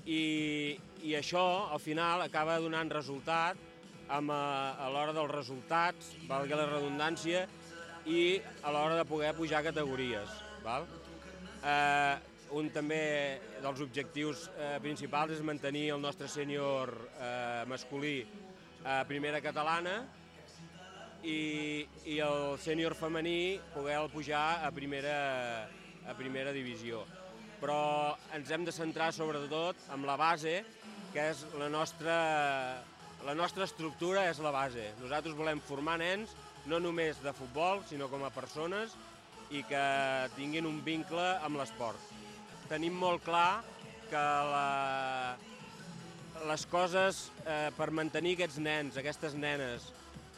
i això al final acaba donant resultat a l'hora dels resultats, valgui la redundància, i a l'hora de poder pujar categories. Un també dels objectius principals és mantenir el nostre sènior masculí a primera catalana i el sènior femení poder pujar a primera divisió. Però ens hem de centrar sobretot en la base, que és la nostra estructura és la base. Nosaltres volem formar nens, no només de futbol, sinó com a persones, i que tinguin un vincle amb l'esport. Tenim molt clar que les coses per mantenir aquests nens, aquestes nenes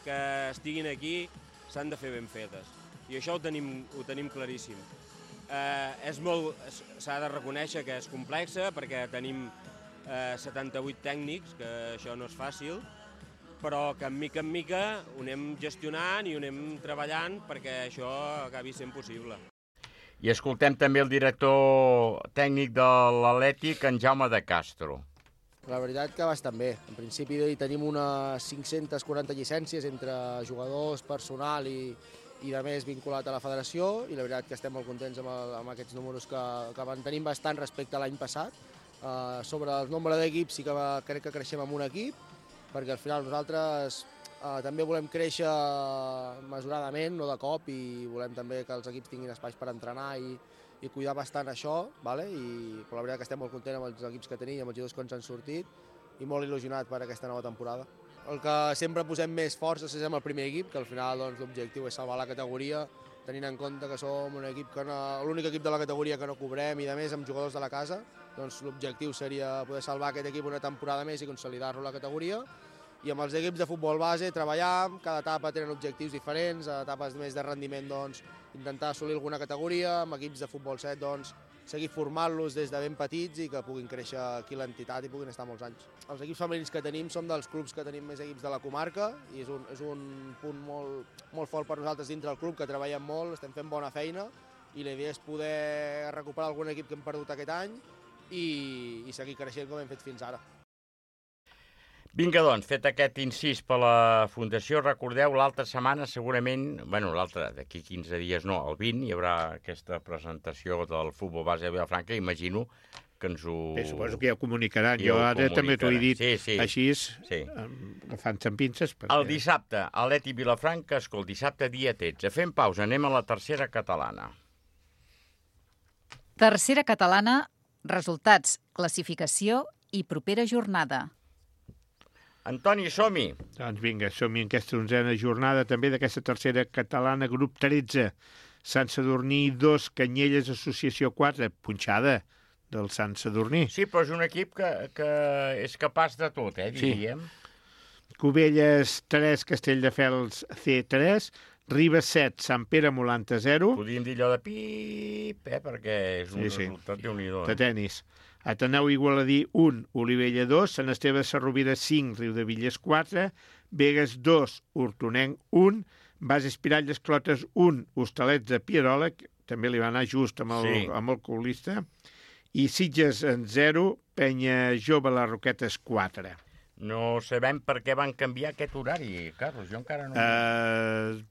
que estiguin aquí, s'han de fer ben fetes. I això ho tenim claríssim. S'ha de reconèixer que és complexa perquè tenim 78 tècnics, que això no és fàcil, però que mica en mica ho anem gestionant i ho anem treballant perquè això acabi sent possible. I escoltem també el director tècnic de l'Atlètic, en Jaume de Castro. La veritat que bastant bé. En principi tenim unes 540 llicències entre jugadors, personal i de més vinculat a la federació, i la veritat que estem molt contents amb aquests números que mantenim bastant respecte a l'any passat. Sobre el nombre d'equips sí que crec que creixem amb un equip, perquè al final nosaltres també volem créixer mesuradament, no de cop, i volem també que els equips tinguin espais per entrenar i cuidar bastant això, però la veritat que estem molt contents amb els equips que tenim, amb els jugadors que ens han sortit, i molt il·lusionat per aquesta nova temporada. El que sempre posem més força és amb el primer equip, que al final l'objectiu és salvar la categoria, tenint en compte que som un equip l'únic equip de la categoria que no cobrem i, a més, amb jugadors de la casa, doncs l'objectiu seria poder salvar aquest equip una temporada més i consolidar-lo a la categoria. I amb els equips de futbol base treballar, cada etapa tenen objectius diferents, etapes més de rendiment doncs, intentar assolir alguna categoria, amb equips de futbol 7 doncs, seguir formant-los des de ben petits i que puguin créixer aquí l'entitat i puguin estar molts anys. Els equips femenins que tenim són dels clubs que tenim més equips de la comarca i és un punt molt fort per nosaltres dintre del club, que treballem molt, estem fent bona feina i la idea és poder recuperar algun equip que hem perdut aquest any i seguir creixent com hem fet fins ara. Vinga, doncs, fet aquest incís per la Fundació, recordeu, l'altra setmana segurament, d'aquí 15 dies no, el 20, hi haurà aquesta presentació del futbol base de Vilafranca, imagino que ens ho... Bé, suposo que ja ho comunicaran, jo ara també t'ho he dit així, agafant-se amb pinces. El dissabte, Atlètic Vilafranca, escolta, dissabte dia 13, fem pausa, anem a la tercera catalana. Tercera catalana, resultats, classificació i propera jornada. Antoni, som-hi! Doncs vinga, som-hi en aquesta 11a jornada també d'aquesta tercera catalana, grup 13. Sant Sadurní 2, Canyelles, Associació 4, punxada del Sant Sadurní. Sí, però és un equip que és capaç de tot, diríem. Sí. Cubelles 3, Castelldefels C3, Ribes 7, Sant Pere Molanta 0. Podríem dir allò de pip, perquè és un resultat déu-n'hi-do. De tenis. Ateneu Igualadí 1, Olivella 2, Sant Esteve de Sarrovira 5, Riudevilles 4, Begues 2, Hortonenc 1, Bas Espiralles Clotes 1, Hostalets de Pierola, que també li va anar just amb el colista, i Sitges en 0, Penya Jove les Roquetes 4. No sabem per què van canviar aquest horari, Carlos, jo encara no...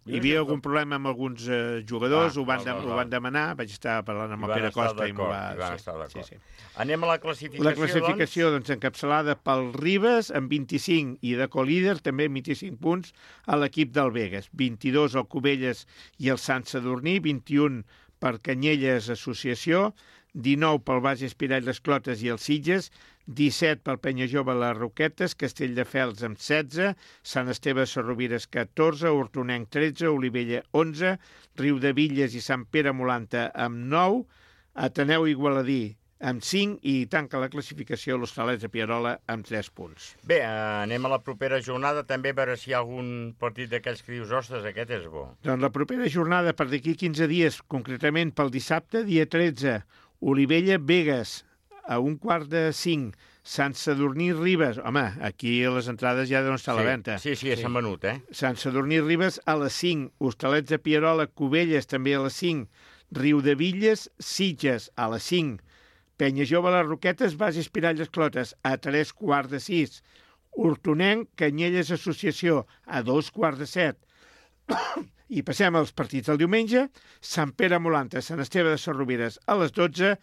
Hi havia algun problema amb alguns jugadors, ho van demanar, vaig estar parlant amb el Pere Costa i m'ho va... estar d'acord. Anem a la classificació, La classificació, doncs, encapçalada pel Ribes, amb 25, i de colíder, també amb 25 punts, a l'equip del Begues. 22 el Cubelles i el Sant Sadurní, 21 per Canyelles Associació, 19 pel Bas Espirall les Clotes i els Sitges, 17 pel Penya Jove les Roquetes, Castelldefels amb 16, Sant Esteve de Sarrovires 14, Hortonenc 13, Olivella 11, Riudevilles i Sant Pere Molanta amb 9, Ateneu Igualadí amb 5 i tanca la classificació l'Hostalets de Pierola amb 3 punts. Bé, anem a la propera jornada també a veure si hi ha algun partit d'aquells que dius, ostres, aquest és bo. Doncs la propera jornada per d'aquí 15 dies, concretament pel dissabte, dia 13, Olivella Begues, a 4:45, Sant Sadurní Ribes. Home, aquí les entrades ja deuen estar a la venda. Sí, s'han venut, Sant Sadurní Ribes a les 5, Hostalets de Pierola, Cubelles també a les 5, Riudevilles, Sitges a les 5, Penya Jove les Roquetes, Bas Espiralles Clotes a 3:15, Hortonenc, Canyelles Associació a 2:15. I passem als partits del diumenge. Sant Pere Molanta, Sant Esteve de Sarrovires a les 12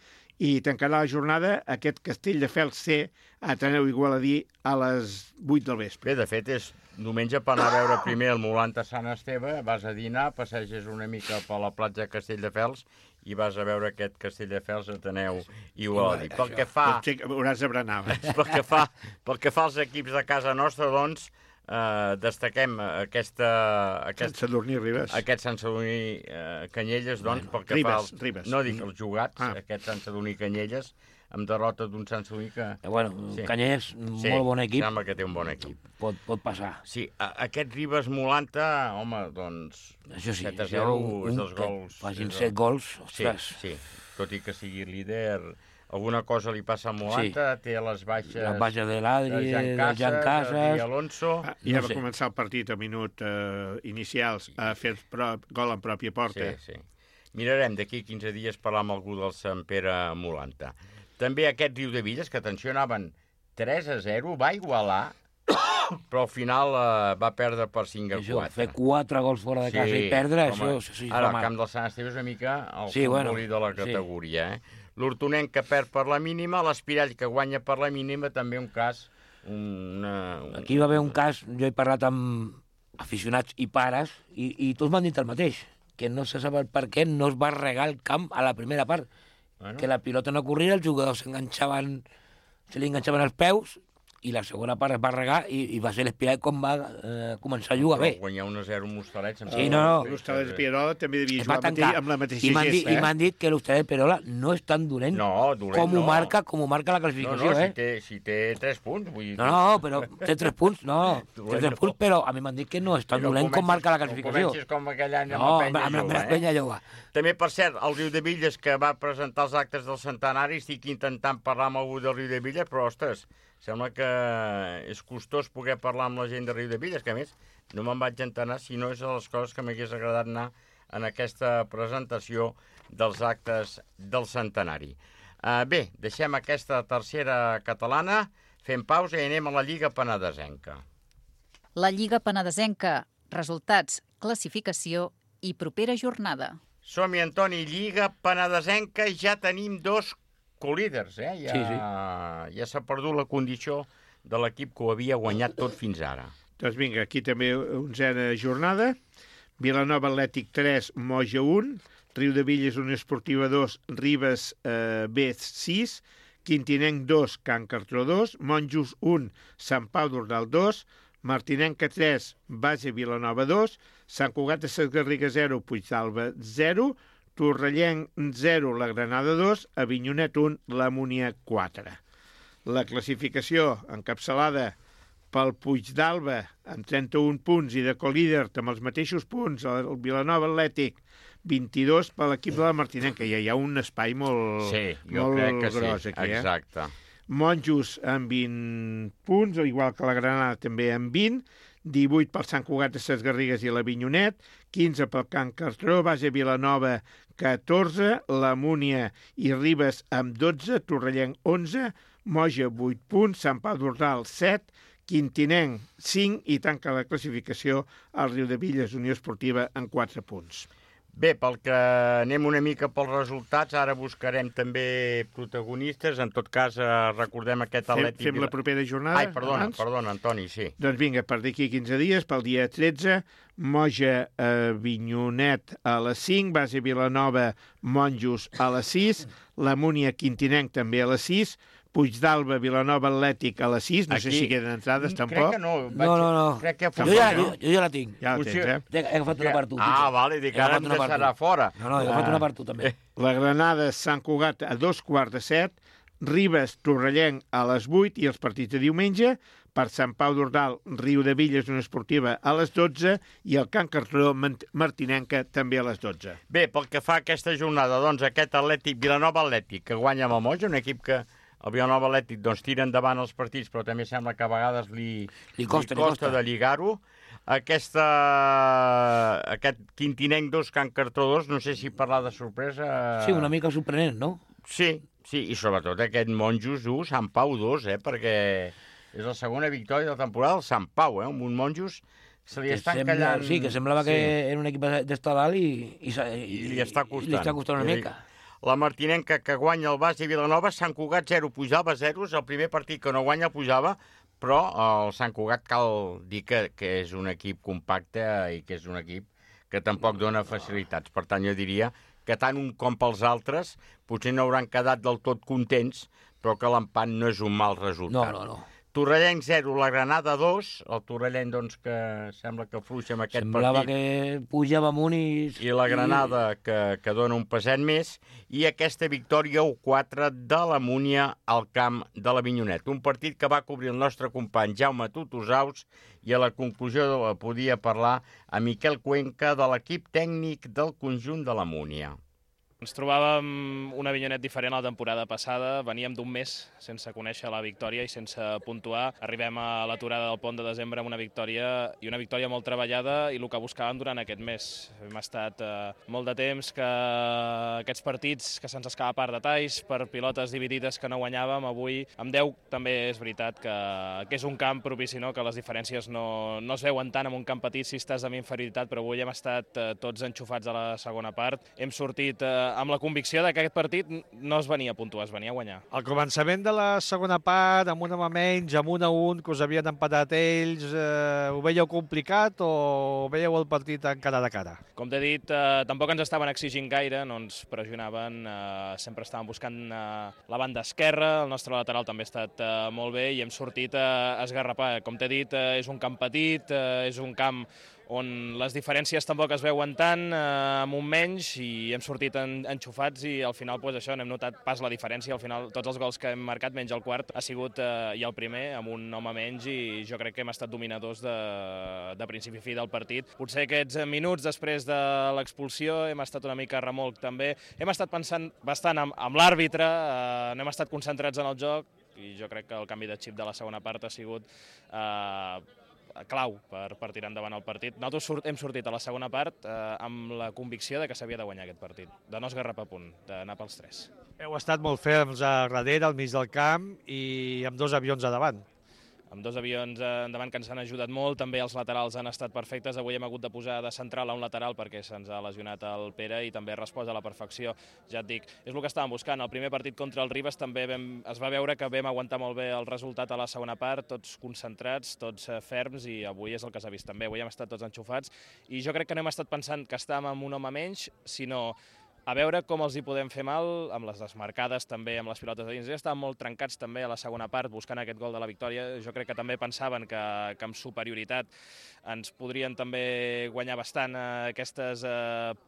i tancarà la jornada aquest Castelldefels C, Ateneu Igualadí a les 8 del vespre. Bé, de fet, és diumenge per anar a veure primer el Molanta Sant Esteve, vas a dinar, passeges una mica per la platja de Castelldefels i vas a veure aquest Castelldefels Ateneu Igualadí. Pel que fa... Hauràs de berenar. Pel que fa als equips de casa nostra, doncs, destaquem aquest Sant Sadurní Ribes. Aquest Sant Sadurní Canyelles, doncs, pel que fa als... Ribes. No dic els jugats, aquest Sant Sadurní Canyelles, amb derrota d'un Sant Sadurní que... Canyelles, molt bon equip. Sembla que té un bon equip. Pot passar. Sí, aquest Ribes Molanta, home, doncs... Això sí, 7-0, dos gols... Facin 7 gols, ostres. Sí, tot i que sigui líder... Alguna cosa li passa a Molanta, té les baixes... Les baixes de l'Adri, de Jan Casas... de Alonso... Ja va començar el partit a minut inicials a fer gol en pròpia porta. Sí. Mirarem d'aquí 15 dies parlar amb algú del Sant Pere Molanta. També aquest Riu de Villes, que atenció, anaven 3-0, va igualar, però al final va perdre per 5-4. Fer 4 gols fora de casa i perdre, això sí. Ara, el camp del Sant Esteve és una mica el futbolí de la categoria, L'Hortonenc que perd per la mínima, l'Espirall que guanya per la mínima, també un cas... Aquí va haver un cas, jo he parlat amb aficionats i pares, i tots m'han dit el mateix, que no se sap per què no es va regar el camp a la primera part, que la pilota no corria, els jugadors se li enganxaven els peus, i la segona part es va regar i va ser l'Espirall com va començar a jugar bé. Guanyar 1-0 un Hostalets... Sí, no. L'Hostalet de Pierola també devia jugar amb la mateixa gesta. I m'han dit que l'Hostalet de Pierola no és tan dolent com ho marca la classificació. Si té 3 punts. Vull dir... No, però té 3 punts, té 3 punts, però a mi m'han dit que no és tan dolent com marca la classificació. Comencis com aquell any amb la Penya Jove. També, per cert, el Riu de Villes, que va presentar els actes del centenari, estic intentant parlar amb algú del Riu de Villes, però, ostres, sembla que és costós poder parlar amb la gent de Riu de Villes, que a més no me'n vaig enterar si no és de les coses que m'hagués agradat anar en aquesta presentació dels actes del centenari. Bé, deixem aquesta tercera catalana, fem pausa i anem a la Lliga Penedesenca. La Lliga Penedesenca, resultats, classificació i propera jornada. Som-hi, Antoni, Lliga Penedesenca, ja tenim 2 colíders, ja s'ha perdut la condició de l'equip que ho havia guanyat tot fins ara. Doncs vinga, aquí també 11a jornada, Vilanova Atlètic 3, Moja 1, Riu de Villes Unió Esportiva 2, Ribes B 6, Quintinenc 2, Can Cartró 2, Monjos 1, Sant Pau d'Ordal 2, Martinenca 3, Base Vilanova 2, Sant Cugat de Sesgarriga 0, Puigdàlber 0, Torrellenc 0, la Granada 2, Avinyonet 1, la Múnia 4. La classificació encapçalada pel Puigdàlber amb 31 punts i de colíder amb els mateixos punts, el Vilanova Atlètic 22 per l'equip de la Martinenca. Ja hi ha un espai molt gros aquí. Exacte. Monjos amb 20 punts, igual que la Granada també amb 20, 18 pel Sant Cugat de Ses Garrigues i l'Avinyonet, 15 pel Can Cartró, Base Vilanova 14, la Múnia i Ribes amb 12, Torrellenc 11, Moja 8 punts, Sant Pau d'Ordal 7, Quintinenc 5 i tanca la classificació al Riu de Villes Unió Esportiva en 4 punts. Bé, pel que anem una mica pels resultats, ara buscarem també protagonistes, en tot cas recordem aquest Atlètic... Fem la propera jornada? Ai, perdona, Antoni, sí. Doncs vinga, per d'aquí 15 dies, pel dia 13, Moja Avinyonet a les 5, Base Vilanova Monjos a les 6, la Múnia Quintinenc també a les 6, Puigdàlber, Vilanova Atlètic a les 6, no sé si queden entrades tampoc. Crec que no. No. Crec que jo ja la tinc. Ja la tens, He agafat una per tu. Vale, dic, ara em deixarà fora. No, he agafat una per tu també. La Granada, Sant Cugat a 2:15, Ribes, Torrellenc a les 8 i els partits de diumenge, per Sant Pau d'Ordal, Riu de Villes, una esportiva a les 12 i el Can Cartró, Martinenca també a les 12. Bé, pel que fa a aquesta jornada, doncs aquest Atlètic, Vilanova Atlètic, que guanya amb el Moja, un equip que el Vilanova Atlètic doncs, tira endavant els partits, però també sembla que a vegades li costa de lligar-ho. Aquest Quintinenc 2, Can Cartró 2, no sé si parlar de sorpresa... Sí, una mica sorprenent, no? Sí, i sobretot aquest Monjos 1, Sant Pau 2, perquè és la segona victòria de la temporada del Sant Pau, amb un Monjos se li està encallant... Sí, que semblava que era un equip d'estar dalt i li està costant. Li està costant una mica. La Martinenca que guanya el Base Vilanova, Sant Cugat 0, Puigdàlber 0, és el primer partit que no guanya el Puigdàlber, però el Sant Cugat cal dir que és un equip compacte i que és un equip que tampoc dona facilitats. Per tant, jo diria que tant un com pels altres potser no hauran quedat del tot contents, però que l'empat no és un mal resultat. No. Torrellenc 0, la Granada 2, el Torrellenc doncs, que sembla que fluixa amb aquest Semblava partit. que pujava amunt I la Granada que dona un passet més, i aquesta victòria 1-4 de la Múnia al camp de l'Avinyonet. Un partit que va cobrir el nostre company Jaume Tutusaus i a la conclusió podia parlar a Miquel Cuenca de l'equip tècnic del conjunt de la Múnia. Ens trobàvem un Avinyonet diferent a la temporada passada, veníem d'un mes sense conèixer la victòria i sense puntuar. Arribem a l'aturada del pont de desembre amb una victòria molt treballada i el que buscàvem durant aquest mes. Hem estat molt de temps que aquests partits que se'ns escapa per detalls, per pilotes dividides que no guanyàvem, avui amb 10 també és veritat que és un camp propici, no? Que les diferències no es veuen tant en un camp petit si estàs amb inferioritat, però avui hem estat tots enxufats a la segona part. Hem sortit amb la convicció que aquest partit no es venia a puntuar, es venia a guanyar. Al començament de la segona part, amb un home menys, amb 1-1, que us havien empatat ells, ho veieu complicat o veieu el partit encara de cara? Com t'he dit, tampoc ens estaven exigint gaire, no ens pressionaven, sempre estàvem buscant la banda esquerra, el nostre lateral també ha estat molt bé i hem sortit a esgarrapar. Com t'he dit, és un camp petit, és un camp on les diferències tampoc es veuen tant, amb un menys, i hem sortit enxufats i al final doncs això, n'hem notat pas la diferència. Al final tots els gols que hem marcat, menys el quart, ha sigut i el primer amb un home menys, i jo crec que hem estat dominadors de principi a fi del partit. Potser aquests minuts després de l'expulsió hem estat una mica remolc també. Hem estat pensant bastant amb l'àrbitre, no hem estat concentrats en el joc, i jo crec que el canvi de xip de la segona part ha sigut clau per tirar endavant el partit. Nosaltres hem sortit a la segona part amb la convicció de que s'havia de guanyar aquest partit, de no esgarrapar a punt, d'anar pels 3. Heu estat molt ferms a darrere, al mig del camp, i amb 2 avions a davant. Amb 2 avions endavant que ens han ajudat molt, també els laterals han estat perfectes. Avui hem hagut de posar de central a un lateral perquè se'ns ha lesionat el Pere i també ha respost a la perfecció. Ja et dic, és el que estàvem buscant. El primer partit contra el Ribes també es va veure que vam aguantar molt bé el resultat a la segona part, tots concentrats, tots ferms, i avui és el que s'ha vist també. Avui hem estat tots enxufats i jo crec que no hem estat pensant que estàvem amb un home menys, sinó a veure com els hi podem fer mal, amb les desmarcades també, amb les pilotes de dins. Ja estaven molt trencats també a la segona part, buscant aquest gol de la victòria. Jo crec que també pensaven que amb superioritat ens podrien també guanyar bastant aquestes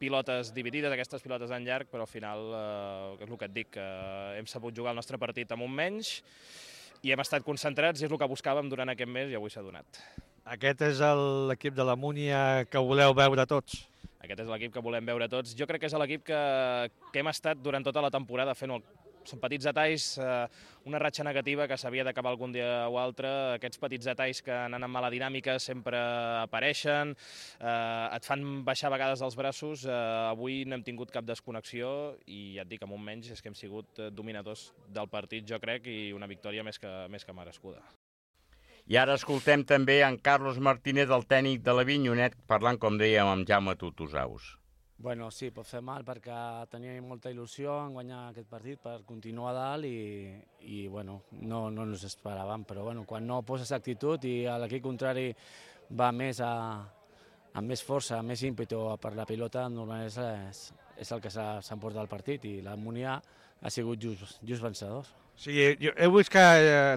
pilotes dividides, aquestes pilotes en llarg, però al final, és el que et dic, hem sabut jugar el nostre partit amb un menys i hem estat concentrats, i és el que buscàvem durant aquest mes, i avui s'ha donat. Aquest és l'equip de la Múnia que voleu veure tots? Aquest és l'equip que volem veure tots. Jo crec que és l'equip que hem estat durant tota la temporada fent són petits detalls, una ratxa negativa que s'havia d'acabar algun dia o altre. Aquests petits detalls que anant amb mala dinàmica sempre apareixen, et fan baixar a vegades els braços. Avui no hem tingut cap desconnexió i ja et dic, amb un menys és que hem sigut dominadors del partit, jo crec, i una victòria més que merescuda. I ara escoltem també en Carlos Martínez, el tècnic de l'Avinyonet, parlant, com dèiem, amb Jaume Tutusaus. Bueno, sí, pot fer mal perquè teníem molta il·lusió en guanyar aquest partit per continuar a dalt i bueno, no ens esperàvem, però bueno, quan no poses actitud i l'equip contrari va amb més força, amb més ímpetu per la pilota, normalment és el que s'emporta el partit, i la Múnia ha sigut just vencedors. Sí, he vist que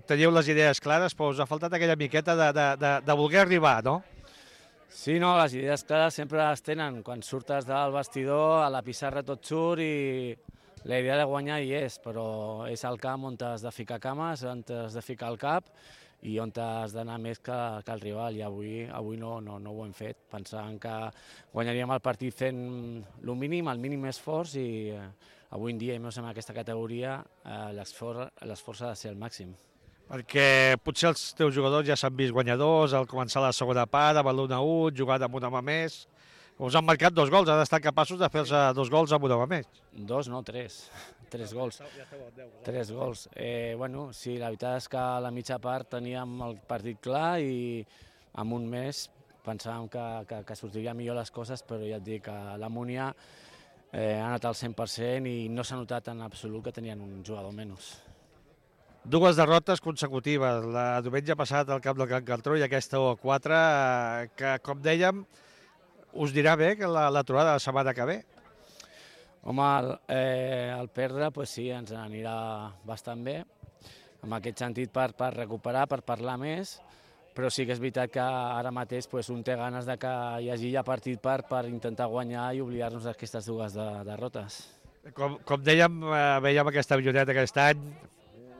teniu les idees clares, però us ha faltat aquella miqueta de voler arribar, no? Sí, no, les idees clares sempre es tenen. Quan surtes del vestidor, a la pissarra tot surt i la idea de guanyar hi és, però és al camp on has de ficar cames, on has de ficar el cap i on has d'anar més que el rival, i avui no ho hem fet. Pensàvem que guanyaríem el partit fent el mínim esforç, i avui en dia, i més en aquesta categoria, l'esforç ha de ser el màxim. Perquè potser els teus jugadors ja s'han vist guanyadors al començar la segona part, amb l'1-1, jugat amb un home més. Us han marcat 2 gols, han estat capaços de fer-se 2 gols amb un home més. 2, no, 3. 3 gols. 3 gols. Bueno, sí, la veritat és que a la mitja part teníem el partit clar i amb un mes pensàvem que sortirien millor les coses, però ja et dic que la Múnia ha anat al 100% i no s'ha notat en absolut que tenien un jugador menys. 2 derrotes consecutives, la diumenge passat al camp del Can Cartró i aquesta 1-4, que, com dèiem, us dirà bé que l'aturada de la setmana que ve? Home, el perdre, pues sí, ens anirà bastant bé, en aquest sentit per recuperar, per parlar més, però sí que és veritat que ara mateix un té ganes de que hi hagi ja partit per intentar guanyar i oblidar-nos d'aquestes dues derrotes. Com dèiem, veiem aquesta avioneta aquest any,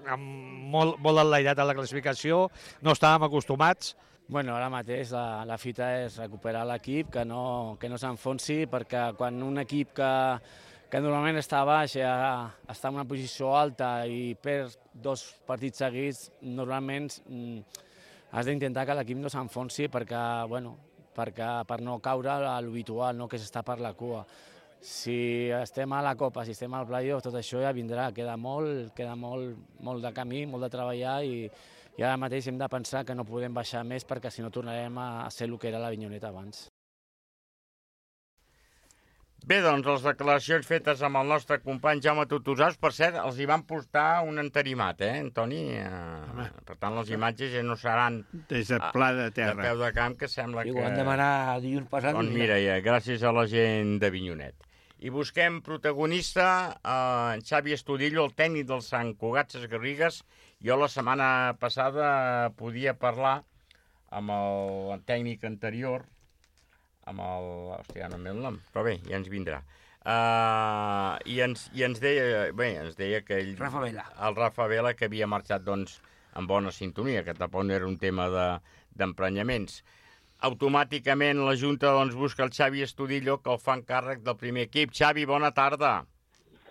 amb molt enlairat a la classificació, no estàvem acostumats. Bueno, ara mateix la fita és recuperar l'equip, que no s'enfonsi, perquè quan un equip que normalment està baix, està en una posició alta i perd 2 partits seguits, normalment has d'intentar que l'equip no s'enfonsi per no caure a l'habitual, que s'està per la cua. Si estem a la Copa, si estem al playoff, tot això ja vindrà. Queda molt de camí, molt de treballar i ara mateix hem de pensar que no podem baixar més perquè si no tornarem a ser el que era l'Avinyoneta abans. Bé, doncs, les declaracions fetes amb el nostre company Jaume Tutusaus, per cert, els hi van portar un entarimat, Antoni? Per tant, les imatges ja no seran des de pla de terra, de peu de camp, que sembla que... Ho han demanat dilluns passat. Doncs mira, gràcies a la gent d'Avinyonet. I busquem protagonista, en Xavi Estudillo, el tècnic del Sant Cugat Sesgarrigues. Jo la setmana passada podia parlar amb el tècnic anterior, amb el... Hòstia, no em ve el nom, però bé, ja ens vindrà. I ens deia que ell... Rafa Vela. El Rafa Vela, que havia marxat, doncs, en bona sintonia, que tampoc no era un tema d'emprenyaments. Automàticament la Junta busca el Xavi Estudillo, que el fa encàrrec del primer equip. Xavi, bona tarda.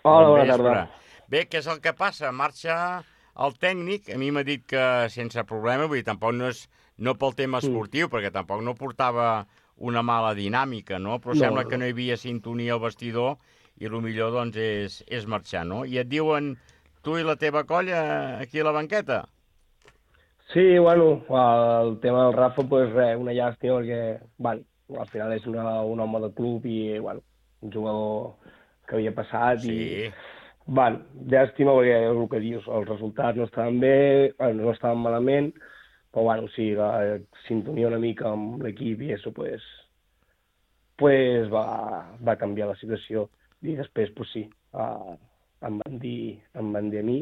Hola, bona tarda. Bé, què és el que passa? Marxa el tècnic, a mi m'ha dit que sense problema, vull dir, tampoc no pel tema esportiu, perquè tampoc no portava una mala dinàmica, no? Però sembla que no hi havia sintonia al vestidor i el millor, doncs, és marxar, no? I et diuen tu i la teva colla aquí a la banqueta? Sí, bueno, el tema del Rafa, pues res, una llàstima, perquè, bueno, al final és un home de club i, bueno, un jugador que havia passat i, bueno, llàstima perquè el que dius, els resultats no estaven bé, bueno, no estaven malament, però, bueno, sí, la sintonia una mica amb l'equip i això, pues va canviar la situació i després, pues sí, em van dir a mi,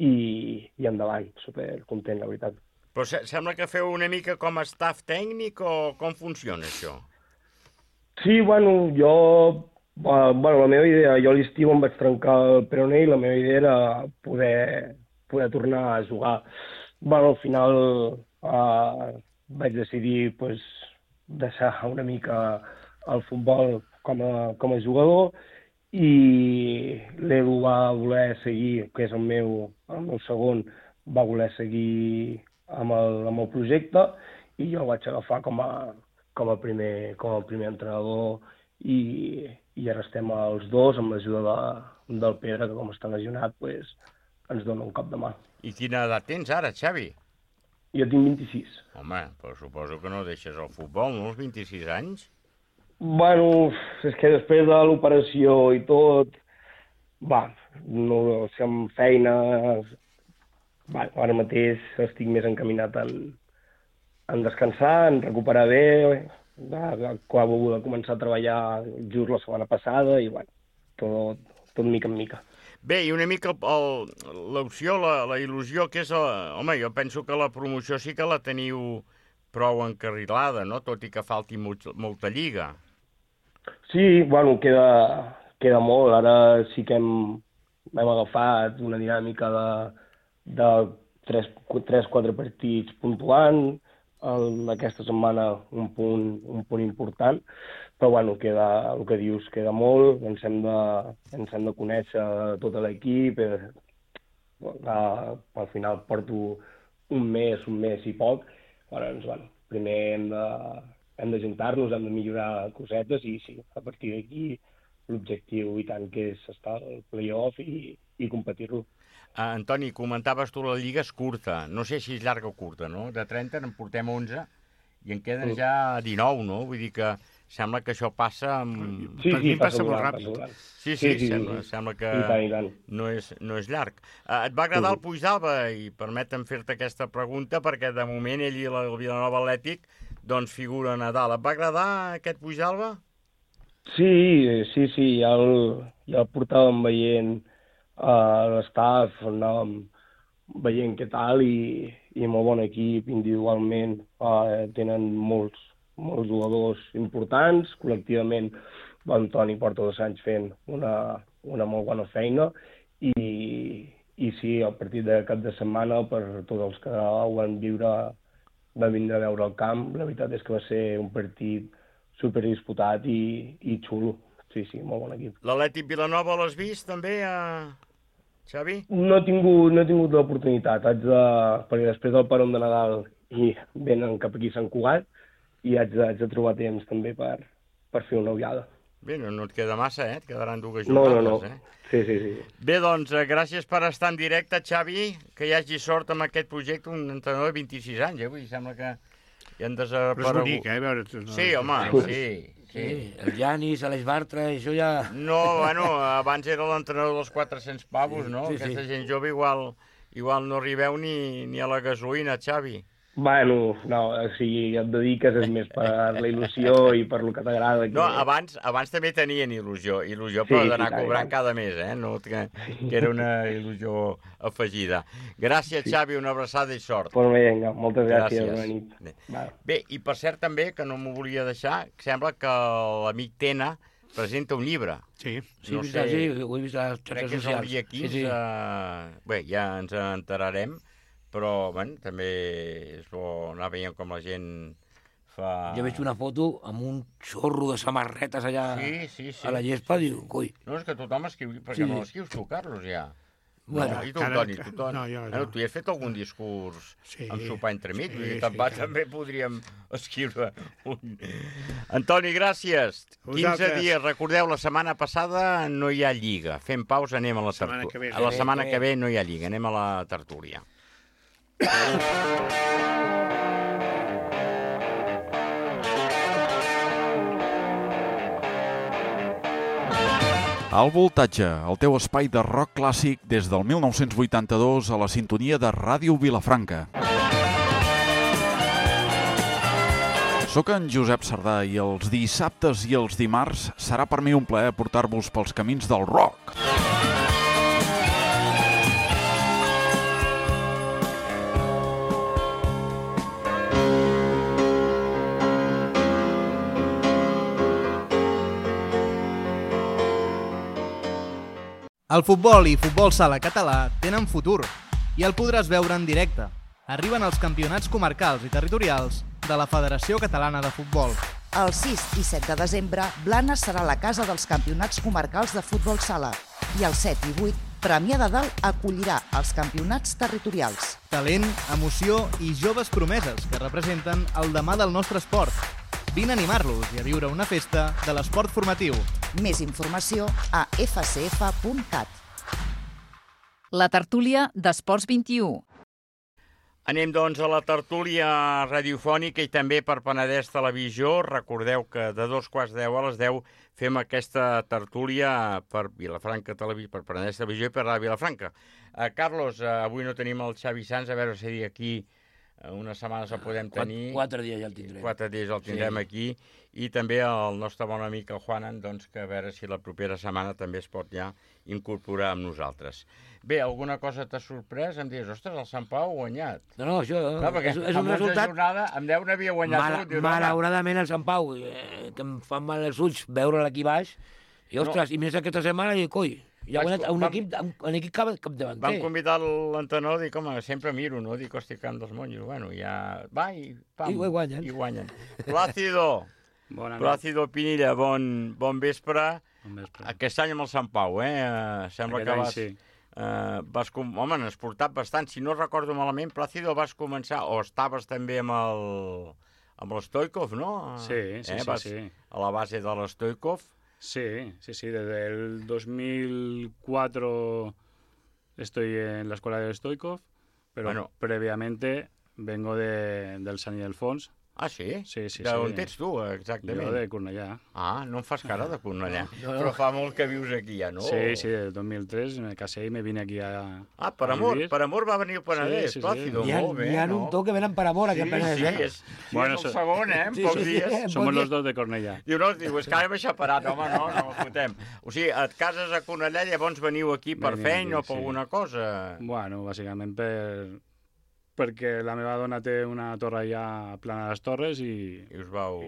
i endavant, supercontent, la veritat. Però sembla que feu una mica com a staff tècnic o com funciona això? Sí, bueno, la meva idea, jo a l'estiu em vaig trencar el peroné i la meva idea era poder tornar a jugar. Bueno, al final vaig decidir deixar una mica el futbol com a jugador i l'Edu va voler seguir, que és el meu segon, va voler seguir amb el projecte i jo el vaig agafar com a primer entrenador i ara estem els dos amb l'ajuda del Pedre, que com està lesionat ens dona un cop de mà. I quina edat tens ara, Xavi? Jo tinc 26. Home, però suposo que no deixes el futbol, no, als 26 anys? Bueno, és que després de l'operació i tot, si amb feina, ara mateix estic més encaminat en descansar, en recuperar bé, acabo de començar a treballar just la setmana passada i, tot mica en mica. Bé, i una mica l'opció, la il·lusió, que és... Home, jo penso que la promoció sí que la teniu prou encarrilada, no? Tot i que falti molta lliga. Sí, bueno, queda molt. Ara sí que hem agafat una dinàmica de 3-4 partits puntuant, aquesta setmana un punt important, però bueno, queda, el que dius, queda molt, ens hem de conèixer tot l'equip, al final porto un mes i poc, llavors, primer hem de juntar-nos, hem de millorar cosetes i sí, a partir d'aquí l'objectiu i tant que és estar al play-off i competir-lo. Antoni, comentaves tu la lliga és curta, no sé si és llarga o curta, no? De 30 en portem 11 i en queden ja 19, no? Vull dir que sembla que això passa... Sí, passa molt ràpid. Sí, sembla que no és llarg. Et va agradar el Puigdàlber? I permetem fer-te aquesta pregunta perquè de moment ell i el Vilanova Atlètic doncs figuren a dalt. Et va agradar aquest Puigdàlber? Sí, ja el portàvem veient a l'estaf, anàvem veient què tal i molt bon equip individualment. Tenen molts jugadors importants, col·lectivament l'Antoni porta 2 anys fent una molt bona feina i sí, el partit de cap de setmana, per tots els que ho van viure, va vindre a veure el camp. La veritat és que va ser un partit superdisputat i xulo. Sí, molt bon equip. L'Atlètic Vilanova l'has vist també, Xavi? No he tingut l'oportunitat, perquè després del peron de Nadal i venen cap aquí a Sant Cugat i haig de trobar temps també per fer una ullada. Bé, no et queda massa, et quedaran 2 jornades, No. Sí. Bé, doncs, gràcies per estar en directe, Xavi, que hi hagi sort amb aquest projecte, un entrenador de 26 anys, vull dir, sembla que hi han desaparegut. Però és bonic, veure... Sí, home, sí. El Janis, Aleix Bartra, això ja... No, bueno, abans era l'entrenador dels 400 pavos, no? Sí. Aquesta gent jove igual no arribeu ni a la gasolina, Xavi. Bueno, no, si et dediques és més per la il·lusió i per lo que t'agrada. No, abans també tenien il·lusió, però d'anar cobrant cada mes, no? Que era una il·lusió afegida. Gràcies, Xavi, una abraçada i sort. Pues vinga, moltes gràcies. Bona nit. Bé, i per cert també, que no m'ho volia deixar, sembla que l'amic Tena presenta un llibre. Sí, ho he vist a les xarxes socials. Crec que és el dia 15. Bé, ja ens enterarem. Però, bueno, també és bo anar veient com la gent fa... Jo veig una foto amb un xorro de samarretes allà a la gespa, diu, coi. No, és que tothom escriu, perquè no l'escrius tu, Carlos, ja. Bueno, i tu, Toni, tu hi has fet algun discurs amb sopar entremig, també podríem escriure un... Antoni, gràcies. 15 dies, recordeu, la setmana passada no hi ha lliga. Fem pausa, anem a la tertúlia. La setmana que ve no hi ha lliga, anem a la tertúlia. Al Voltatge, el teu espai de rock clàssic des del 1982 a la sintonia de Ràdio Vilafranca. Soc en Josep Sardà i els dissabtes i els dimarts serà per mi un plaer portar-vos pels camins del rock. El futbol i futbol sala català tenen futur i el podràs veure en directe. Arriben els campionats comarcals i territorials de la Federació Catalana de Futbol. El 6 i 7 de desembre, Blanes serà la casa dels campionats comarcals de futbol sala i el 7 i 8, Premià de Dalt acollirà els campionats territorials. Talent, emoció i joves promeses que representen el demà del nostre esport. Vine a animar-los i a viure una festa de l'esport formatiu. Més informació a fcf.cat. La tertúlia d'Esports 21. Anem, doncs, a la tertúlia radiofònica i també per Penedès Televisió. Recordeu que de 2:15 a les 10 fem aquesta tertúlia per Vilafranca Televisió, per Penedès Televisió i per la Vilafranca. Carlos, avui no tenim el Xavi Sans, a veure si aquí unes setmanes el podem tenir. 4 dies ja el tindrem. 4 dies el tindrem aquí. I també el nostre bon amic, el Juanan, doncs, que a veure si la propera setmana també es pot ja incorporar amb nosaltres. Bé, alguna cosa t'ha sorprès? Em dius, ostres, el Sant Pau ha guanyat. No, això perquè és un resultat... Em deu n'havia guanyat. Malauradament el Sant Pau, que em fan mal els ulls veure-l aquí baix, i ostres, i més aquesta setmana, i coi, i ha guanyat un equip capdavanter. Vam convidar l'entrenador, dic, home, sempre miro, no? Dic, hosti, camp dels monjos. Bueno, ja va i pam. I guanyen. Plácido. Plácido Pinilla, bon vespre. Aquest any amb el Sant Pau, Sembla que vas... Home, n'has portat bastant. Si no recordo malament, Plácido, vas començar, o estaves també amb l'Stoikov, ¿no? Sí. A la base de l'Stoikov. Sí. Desde el 2004 estoy en la escuela de Stoikov, pero previamente vengo del San Ildefonso. Ah, sí? Sí. D'on ets tu, exactament? Jo de Cornellà. Ah, no em fas cara de Cornellà. Però fa molt que vius aquí ja, no? Sí, del 2003 me casé i me vine aquí a... Ah, per amor va venir al Penedès, Plàcido, molt bé, N'hi ha un toc que venen per amor aquí al Penedès, Bueno, és el segon, en pocs dies. Somos los dos de Cornellà. Diu, és que ara m'he xaparat, home, no fotem. O sigui, et cases a Cornellà i llavors veniu aquí per feina o per alguna cosa? Bueno, bàsicament perquè la meva dona té una torre allà a Plana de les Torres i us vau...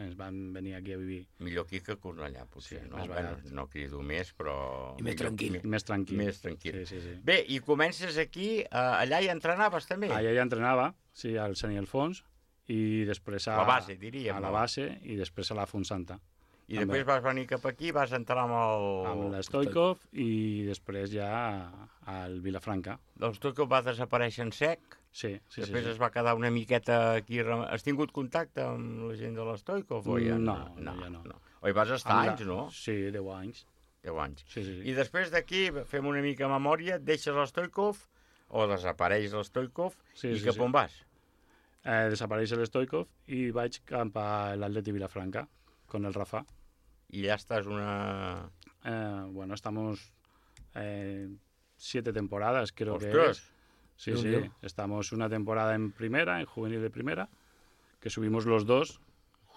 ens van venir aquí a vivir. Millor aquí que Cornellà, potser, no? Més barat. No crido més, però... I més tranquil. Més tranquil. Més tranquil. Sí. Bé, i comences aquí, allà hi entrenaves també? Allà hi entrenava, sí, al Sant Ildefonso, i després a... La base, diríem. A la base, i després a la Fontsanta. I després vas venir cap aquí, vas entrar amb l'Stoikov i després ja al Vilafranca. L'Stoikov va desaparèixer en sec? Sí. Després es va quedar una miqueta aquí... Has tingut contacte amb la gent de l'Stoikov o ja no? No, ja no. Oi, vas estar anys, no? Sí, 10 anys. 10 anys. Sí. I després d'aquí, fem una mica memòria, deixes l'Stoikov o desapareix l'Stoikov i cap on vas? Desapareix l'Stoikov i vaig cap a l'Atleti Vilafranca con el Rafa. Y ya estás una... bueno, estamos 7 temporadas, creo que es. Sí. Estamos una temporada en primera, en juvenil de primera, que subimos los dos.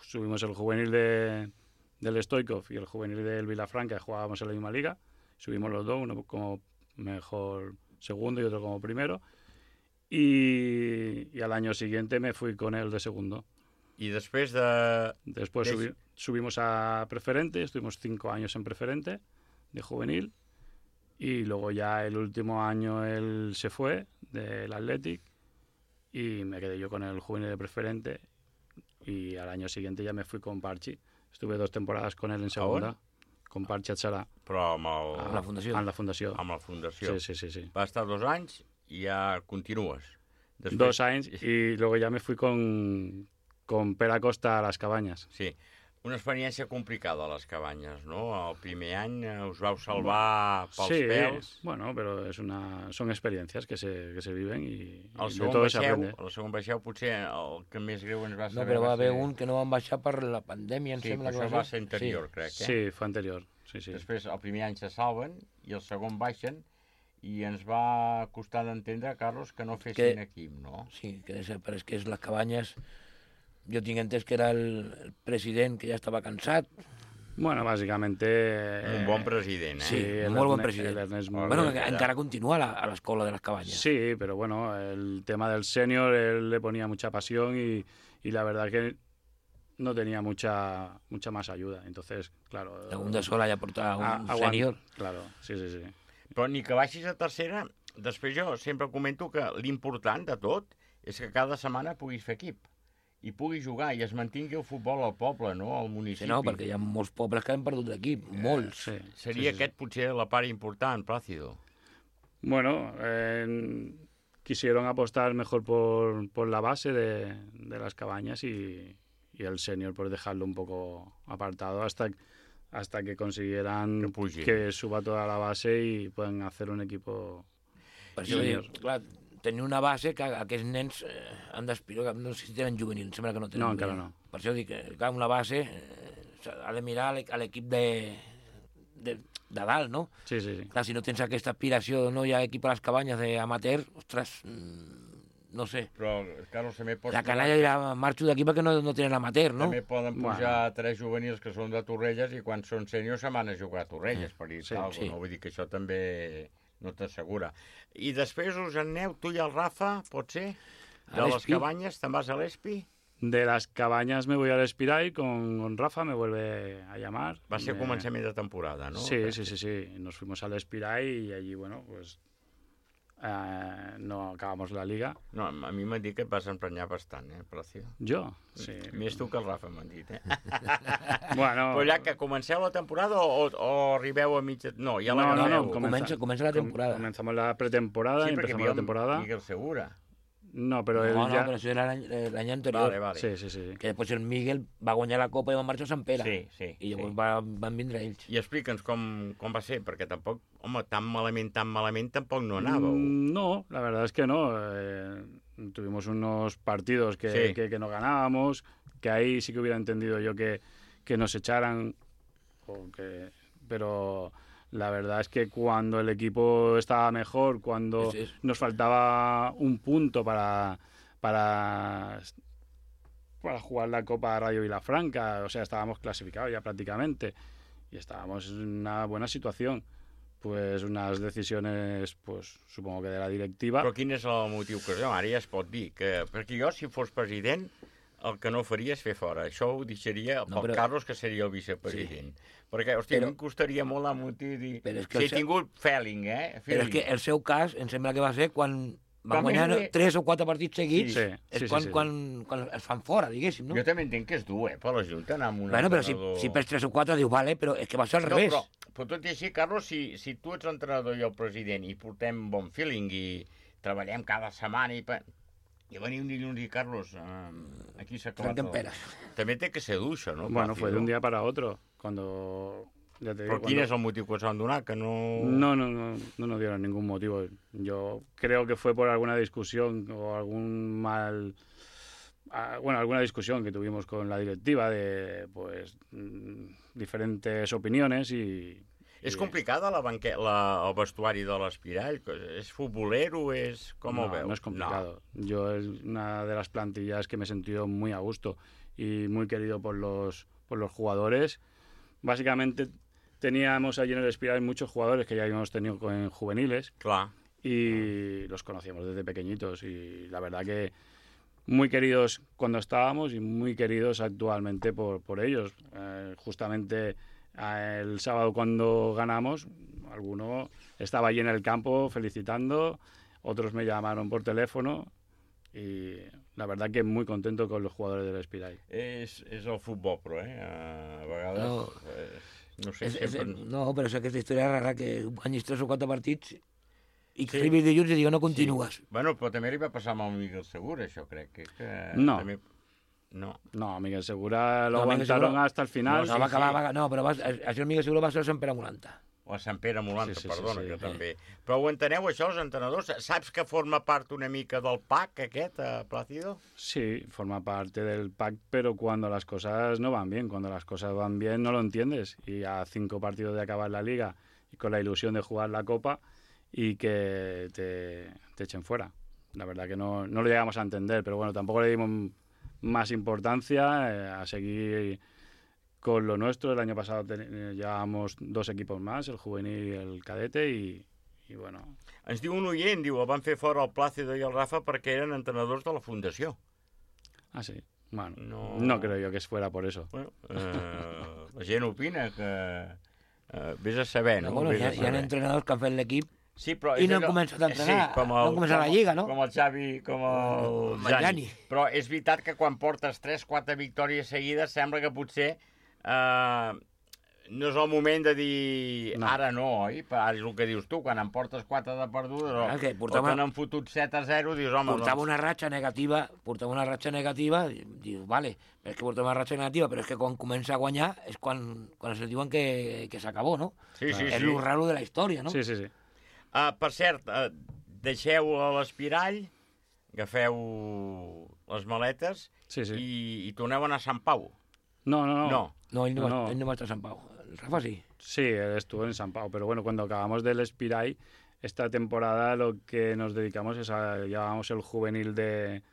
Subimos el juvenil del Stoikov y el juvenil del Vilafranca, jugábamos en la misma liga. Subimos los dos, uno como mejor segundo y otro como primero. Y al año siguiente me fui con él de segundo. Y después subimos a preferente, estuvimos 5 años en preferente de juvenil y luego ya el último año él se fue del Athletic y me quedé yo con el juvenil de preferente y al año siguiente ya me fui con Parchi. Estuve 2 temporadas con él en segunda, con Parchi Atzarà. Però amb la fundació. Amb la fundació. Amb la fundació. Sí. Va estar 2 anys i ja continues. Després... 2 anys y luego ya me fui con Pere Acosta a les Cabanyes. Sí, una experiència complicada a les Cabanyes, no? El primer any us vau salvar pels pèls. Sí, bueno, però són experiències que se viven i de tot s'aprende. El segon baixeu potser el que més greu ens va saber... No, però va haver un que no van baixar per la pandèmia, em sembla. Sí, però això va ser anterior, crec. Sí, fa anterior. Sí. Després, el primer any se salven i el segon baixen i ens va costar d'entendre, Carlos, que no fessin equip, no? Sí, però és que les Cabanyes... Yo tinc entès que era el president que ja estava cansat. Bueno, básicamente... Un bon president, Sí, molt bon president. Bueno, encara continua a l'escola de les Cabanyes. Sí, pero bueno, el tema del senior, él le ponía mucha pasión y la verdad que no tenía mucha más ayuda. Entonces, claro... Segunda sola ja portava un senior. Claro, sí. Però ni que baixis a tercera, després jo sempre comento que l'important de tot és que cada setmana puguis fer equip. I pugui jugar i es mantingui el futbol al poble, no? Al municipi. Sí, no, perquè hi ha molts pobles que han perdut l'equip, molts. Seria aquest potser la part important, Plácido. Bueno, quisieron apostar mejor por la base de las Cabañas y el senior por dejarlo un poco apartado hasta que consiguieran que suba toda la base y puedan hacer un equipo senior. Clar, tenir una base que aquests nens han d'aspirar, no sé si tenen juvenil, em sembla que no tenen. No, encara no. Per això dic que una base ha de mirar a l'equip de dalt, no? Sí. Clar, si no tens aquesta aspiració, no hi ha equip a les Cabanyes d'amateur, ostres, no sé. Però, Carlos, també pots... La canalla dirà, marxo d'aquí perquè no tenen amateur, no? També poden pujar 3 juvenils que són de Torrelles i quan són sèniors se'n van a jugar a Torrelles, per dir tal, no? Vull dir que això també no t'assegura. I després us aneu, tu i el Rafa, pot ser? De les Cabanyes, te'n vas a l'Espi? De las Cabañas me voy al Espiray con Rafa, me vuelve a llamar. Va ser començament de temporada, ¿no? Sí. Nos fuimos al Espiray y allí, bueno, pues no acabamos la liga. No, a mi m'han dit que et vas emprenyar bastant, Plácido. Jo? Sí. Més tu que el Rafa, m'han dit, Bueno... Però ja que comenceu la temporada o arribeu a mitja... No, ja la No, comença la temporada. Comenzamos la pretemporada y empezamos la temporada. Miguel Segura. No, però ell ja... No, però això era l'any anterior. Vale. Sí. Que després el Miguel va guanyar la Copa i va marxar a Sant Pere. Sí. I llavors van vindre ells. I explica'ns com va ser, perquè tampoc, home, tan malament tampoc no anàveu. No, la verdad es que no. tuvimos unos partidos que no ganábamos, que ahí sí que hubiera entendido yo que nos echaran, pero la verdad es que cuando el equipo estaba mejor, cuando nos faltaba un punto para jugar la Copa Radio Vilafranca, o sea, estábamos clasificados ya prácticamente y estábamos en una buena situación. Pues unes decisions, pues, supongo que de la directiva. Però quin és el motiu que ara ja es pot dir? Perquè jo, si fos president, el que no faria és fer fora. Això ho deixaria pel Carlos, que seria el vicepresident. Perquè, hòstia, a mi em costaria molt la motiu dir... Si he tingut feeling, Però és que el seu cas, em sembla que va ser quan van guanyar 3 o 4 partits seguits, és quan es fan fora, diguéssim, no? Jo també entenc que és dur, per la Junta, anar amb un entrenador... Bueno, però si perds 3 o 4, diu, vale, però és que va ser al revés. Però tot i així, Carlos, si tu ets l'entrenador i el president i portem bon feeling i treballem cada setmana i venim un dilluns i Carlos, aquí s'ha acabat. També té que ser dur, això, no? Bueno, fue de un día para otro, cuando... ¿Pero quién es el motivo que os han donado? Que no nos dieron ningún motivo. Yo creo que fue por alguna discusión o alguna discusión que tuvimos con la directiva de, pues, diferentes opiniones y... És complicada el vestuari de l'Espirall? És futbolero? ¿Cómo veo? No es complicado. Yo es una de las plantillas que me he sentido muy a gusto y muy querido por los jugadores. Básicamente teníamos allí en el Espirall muchos jugadores que ya habíamos tenido en juveniles. Claro. Y los conocíamos desde pequeñitos y la verdad que muy queridos cuando estábamos y muy queridos actualmente por ellos. Justamente el sábado cuando ganamos, alguno estaba allí en el campo felicitando, otros me llamaron por teléfono y la verdad que muy contento con los jugadores del Espirall. És el futbol, però, a vegades... No sé, no, però és aquesta història rara que guanyis 3 o 4 partits i que arribis dilluns i diuen no continues. Bueno, però també li va passar amb el Miguel Segura, això crec. No. No, Miguel Segura lo aguantaron hasta el final. No, però això el Miguel Segura va ser el Sant Pere Molanta. O a Sant Pere Molanta, perdona, que també. Però ho enteneu, això, els entrenadors? Saps que forma part una mica del PAC, aquest, Plácido? Sí, forma parte del PAC, pero cuando las cosas no van bien. Cuando las cosas van bien no lo entiendes. Y a 5 partidos de acabar la Liga y con la ilusión de jugar la Copa y que te echen fuera. La verdad que no lo llegamos a entender, pero bueno, tampoco le dimos más importancia a seguir con lo nuestro. El año pasado llevábamos 2 equipos más, el juvenil y el cadete, y bueno... Ens diu un oient, el van fer fora el Plácido i el Rafa perquè eren entrenadors de la Fundació. Ah, sí? Bueno, no creo yo que fuera por eso. Bueno, la gent opina que... vés a saber, no? Bueno, hi ha entrenadors que han fet l'equip i no han començat a entrenar, no han començat la Lliga, no? Com el Xavi, com el Jani. Però és veritat que quan portes 3-4 victòries seguides sembla que potser no és el moment de dir ara no, oi? Ara és el que dius tu, quan em portes 4 de perdudes o te n'han fotut 7-0, dius, home... Portava una ratxa negativa, dius, vale, però és que portava una ratxa negativa, però és que quan comença a guanyar és quan es diuen que s'acabó, no? Sí. És lo raro de la història, no? Sí. Per cert, deixeu l'Espirall, agafeu les maletes i torneu a anar a Sant Pau. No, él no va a estar en San Pau. El Rafa sí. Sí, él estuvo en San Pau, pero bueno, cuando acabamos del Espirall, esta temporada lo que nos dedicamos es llevamos el juvenil de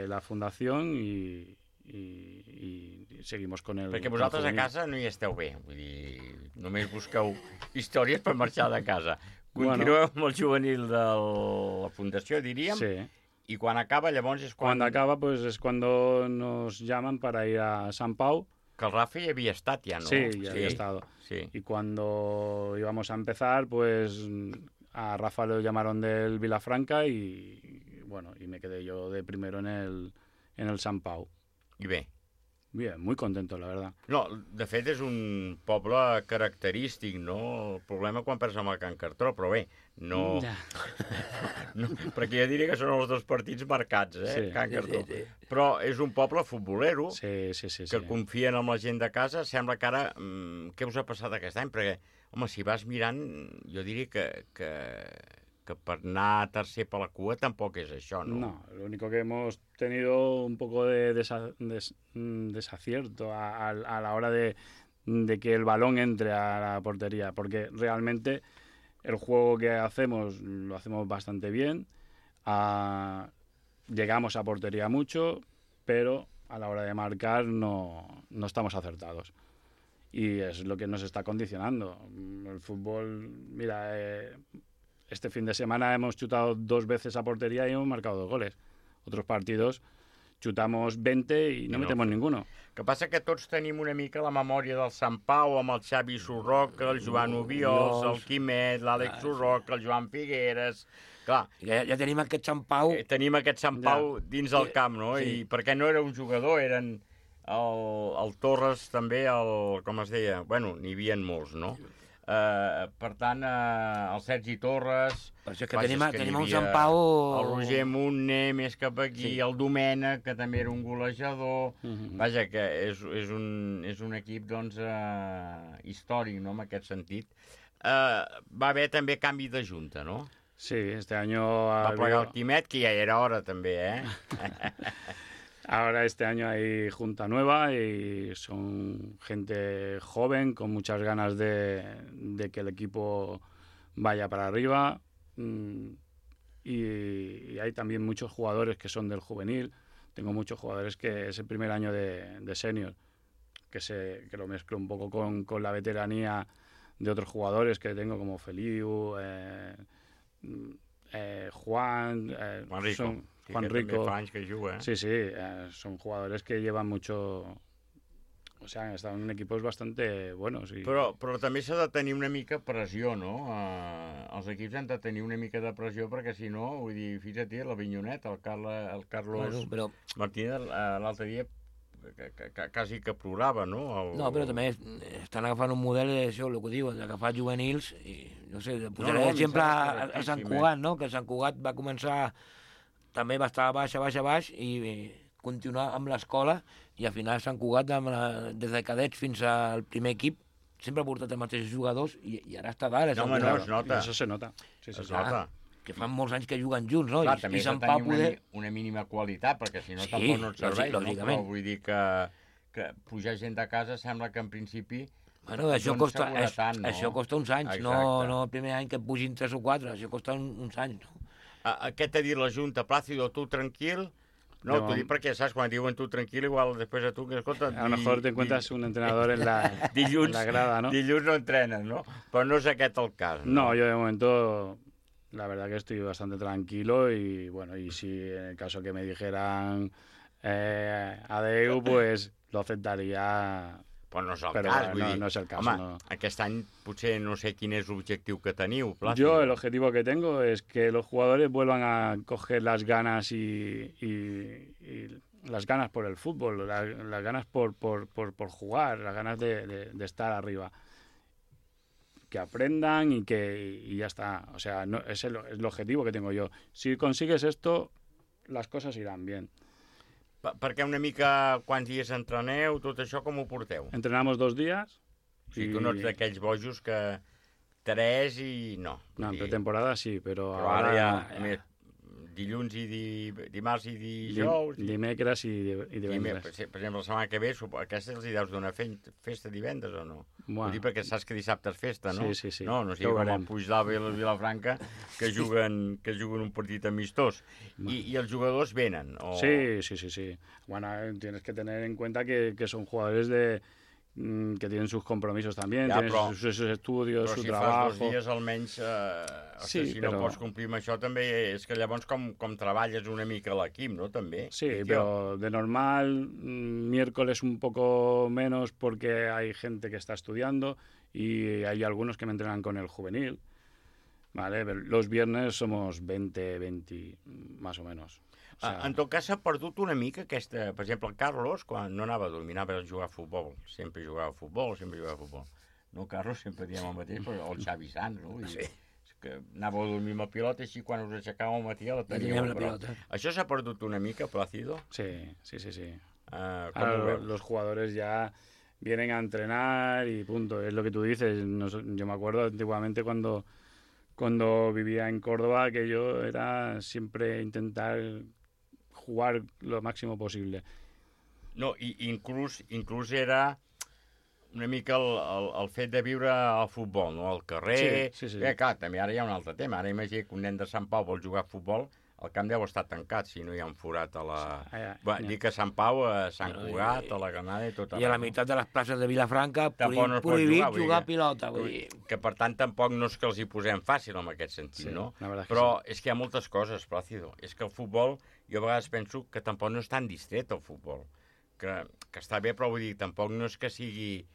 la fundación y seguimos con el... Perquè vosaltres a casa no hi esteu bé, vull dir, només busqueu històries per marxar de casa. Continueu amb el juvenil de la fundació, diríem. Sí. Y cuando acaba, llavors és quan... Cuando acaba, pues es cuando nos llaman para ir a San Pau. Que el Rafa ya había estado ya, ¿no? Sí, ya había estado. Sí. Y cuando íbamos a empezar, pues a Rafa lo llamaron del Vilafranca y bueno, y me quedé yo de primero en el San Pau. I bé? Bien, muy contento, la verdad. No, de fet és un poble característic, no? El problema quan perds amb el Can Cartró, però bé, no... perquè jo diria que són els 2 partits marcats, Can Cartró. Sí. Però és un poble futbolero que confien en la gent de casa. Sembla que ara... Què us ha passat aquest any? Perquè, home, si vas mirant, jo diria que que per anar tercer per la cua tampoc és això, ¿no? No, lo único que hemos tenido un poco de desacierto a la hora de que el balón entre a la portería, porque realmente el juego que hacemos lo hacemos bastante bien, llegamos a portería mucho, pero a la hora de marcar no estamos acertados. Y es lo que nos está condicionando. El fútbol, mira, este fin de semana hemos chutado 2 veces a portería y hemos marcado 2 goles. Otros partidos xutamos 20 i no metemos ninguno. El que passa que tots tenim una mica la memòria del Sant Pau amb el Xavi Surroca, el Joan Obiols, el Quimet, l'Àlex Surroca, el Joan Figueres... Clar, ja tenim aquest Sant Pau... Tenim aquest Sant Pau dins del camp, no? Sí. I perquè no era un jugador, eren el Torres també, com es deia? Bueno, n'hi havia molts, no? Per tant, el Sergi Torres... Per això que tenim un Sant Pau... El Roger Montner, més cap aquí, el Domènec, que també era un golejador... Vaja, que és un equip, doncs, històric, no?, en aquest sentit. Va haver també canvi de junta, no? Sí, este año... Va plegar el Quimet, que ja era hora també, Ahora este año hay junta nueva y son gente joven con muchas ganas de que el equipo vaya para arriba y hay también muchos jugadores que son del juvenil. Tengo muchos jugadores que es el primer año de senior, que lo mezclo un poco con la veteranía de otros jugadores que tengo como Feliu, Juan Rico. Juan Rico. Que juga, Sí, son jugadores que llevan mucho... O sea, han estado en equipos bastante buenos. Però també s'ha de tenir una mica pressió, no? Els equips han de tenir una mica de pressió perquè, si no, vull dir, fixa't, l'Avinyonet, el Carlos Martínez, l'altre dia quasi que plorava, no? No, però també estan agafant un model d'això, el que diu, d'agafar juvenils, i no sé, posaré exemple a Sant Cugat, no? Que Sant Cugat va començar... També va estar baix, i continuar amb l'escola, i al final Sant Cugat, des de cadets fins al primer equip, sempre ha portat els mateixos jugadors, i ara està dalt. No, home, no, es nota. Això se nota. Es nota. Que fan molts anys que juguen junts, no? Clar, també s'ha de tenir una mínima qualitat, perquè si no tampoc no et serveix, no? Però vull dir que pujar gent de casa sembla que en principi... Bueno, això costa uns anys, no el primer any que pugin 3 o 4, això costa uns anys, no? Què t'ha dit la Junta? Plácido, tu tranquil? No, t'ho dic perquè, saps, quan diuen tu tranquil, igual després a tu, que escolta... A lo mejor te encuentras un entrenador en la grada, ¿no? Dilluns no entrenes, ¿no? Però no és aquest el cas, ¿no? No, yo de momento, la verdad que estoy bastante tranquilo y, bueno, y si en el caso que me dijeran adeu, pues lo aceptaría... Però no és el cas, vull dir... No és el cas, home, no. Aquest any potser no sé quin és l'objectiu que teniu, Plácido. Yo el objetivo que tengo es que los jugadores vuelvan a coger las ganas y las ganas por el fútbol, las ganas por jugar, las ganas de estar arriba. Que aprendan y ya está. O sea, no, es el objetivo que tengo yo. Si consigues esto, las cosas irán bien. Perquè una mica quants dies entreneu, tot això com ho porteu? Entrenamos 2 días. O sigui, tu no ets d'aquells bojos que 3 i no. No, en pretemporada sí, però ara ja... Dilluns i dimarts i dijous... Dimecres i divendres. Per exemple, la setmana que ve, aquesta els hi deus donar festa divendres o no? Bueno. Ho dic perquè saps que dissabte és festa, no? Sí. No sigui com el Puigdàlber i el Vilafranca, que juguen un partit amistós. I els jugadors venen? O... Sí. Bueno, tienes que tener en cuenta que son jugadores que tienen sus compromisos también, tienen sus estudios, su trabajo... Però si fas 2 dies almenys, si no pots complir amb això també, és que llavors com treballes una mica l'equip, no? També. Sí, pero de normal, miércoles un poco menos porque hay gente que está estudiando y hay algunos que me entrenan con el juvenil, ¿vale? Los viernes somos 20, más o menos. O sea... En tot cas, s'ha perdut una mica aquesta... Per exemple, el Carlos, quan no anava a dormir, anava a jugar a futbol. Sempre jugava a futbol. No, Carlos, sempre diem el mateix, però el Xavi Sanz, no? Sí. Que anava a dormir amb la pilota, així quan us aixecàvem al matí la teníem. Això s'ha perdut una mica, Plácido? Sí. Ahora los jugadores ya vienen a entrenar y punto. Es lo que tú dices. Yo me acuerdo antiguamente cuando cuando vivía en Córdoba, aquello era siempre intentar jugar lo máximo possible. No, i inclús era una mica el fet de viure al futbol, no? Al carrer... Sí. Clar, també ara hi ha un altre tema. Ara imagina que un nen de Sant Pau vol jugar a futbol, el camp deu estar tancat si no hi ha un forat a la... Dic a Sant Pau, a Sant Cugat, a la Granada i tot. I a la meitat de les places de Vilafranca prohibit jugar a pilota. Que per tant tampoc no és que els hi posem fàcil en aquest sentit, no? Però és que hi ha moltes coses, Plácido. És que el futbol, jo a vegades penso que tampoc no és tan distret el futbol. Que està bé, però vull dir, tampoc no és que sigui